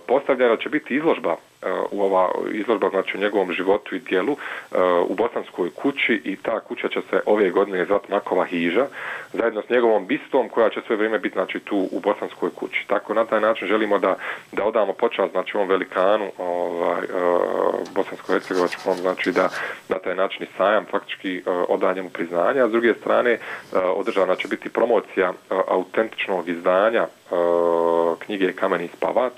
Postavljena će biti izložba u ova izložba znači u njegovom životu i djelu u Bosanskoj kući i ta kuća će se ove godine zvati Makova hiža zajedno s njegovom bistom koja će sve vrijeme biti znači tu u Bosanskoj kući. Tako na taj način želimo da da odamo počast znači ovom velikanu ovaj bosansko-hercegovačkom znači da na taj način sajam faktički oda njemu priznanja, a s druge strane održana će biti promocija autentičnog izdanja knjige Kameni spavač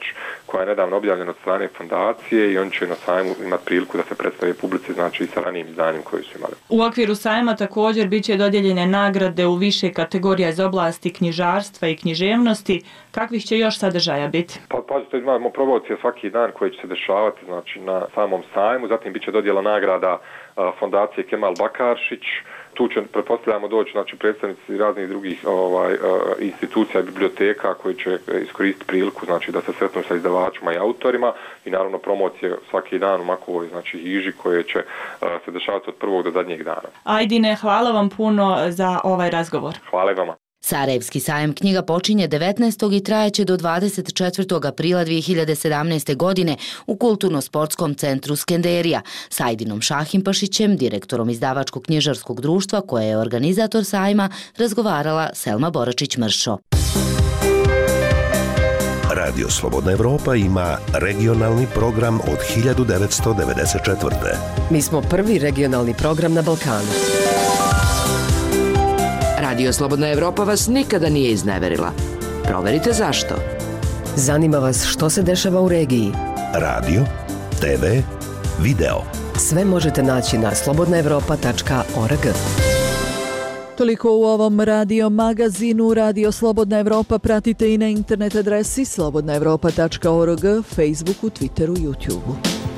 koja je nedavno objavljena od strane fondacije i on će na sajmu imati priliku da se predstavi publici znači sa ranijim izdanjem koji su imali. U okviru sajma također bit će dodijeljene nagrade u više kategorija iz oblasti knjižarstva i književnosti. Kakvih će još sadržaja biti? Pa pazite, imamo promocije svaki dan koje će se dešavati znači na samom sajmu, zatim bit će dodjela nagrada fondacije Kemal Bakaršić. Tu će, pretpostavljamo, doći znači, predstavnici raznih drugih ovaj, uh, institucija i biblioteka koji će iskoristiti priliku znači, da se sretnu sa izdavačima i autorima i naravno promocije svaki dan u Makovoj znači, hiži koje će uh, se dešavati od prvog do zadnjeg dana. Ajdine, hvala vam puno za ovaj razgovor. Hvala vama. Sarajevski sajam knjiga počinje devetnaestog i trajeće do dvadeset četvrtog aprila dvije hiljade sedamnaeste. godine u Kulturno-sportskom centru Skenderija. S Ajdinom Šahimpašićem, direktorom izdavačkog knjižarskog društva koje je organizator sajma, razgovarala Selma Boračić-Mršo. Radio Slobodna Evropa ima regionalni program od hiljadu devetsto devedeset četvrte. Mi smo prvi regionalni program na Balkanu. Radio Slobodna Evropa vas nikada nije izneverila. Proverite zašto. Zanima vas što se dešava u regiji? Radio, te ve, video. Sve možete naći na slobodna evropa tačka org. Toliko u ovom radio magazinu. Radio Slobodna Evropa pratite i na internet adresi slobodna evropa tačka org, Facebooku, Twitteru, YouTubeu.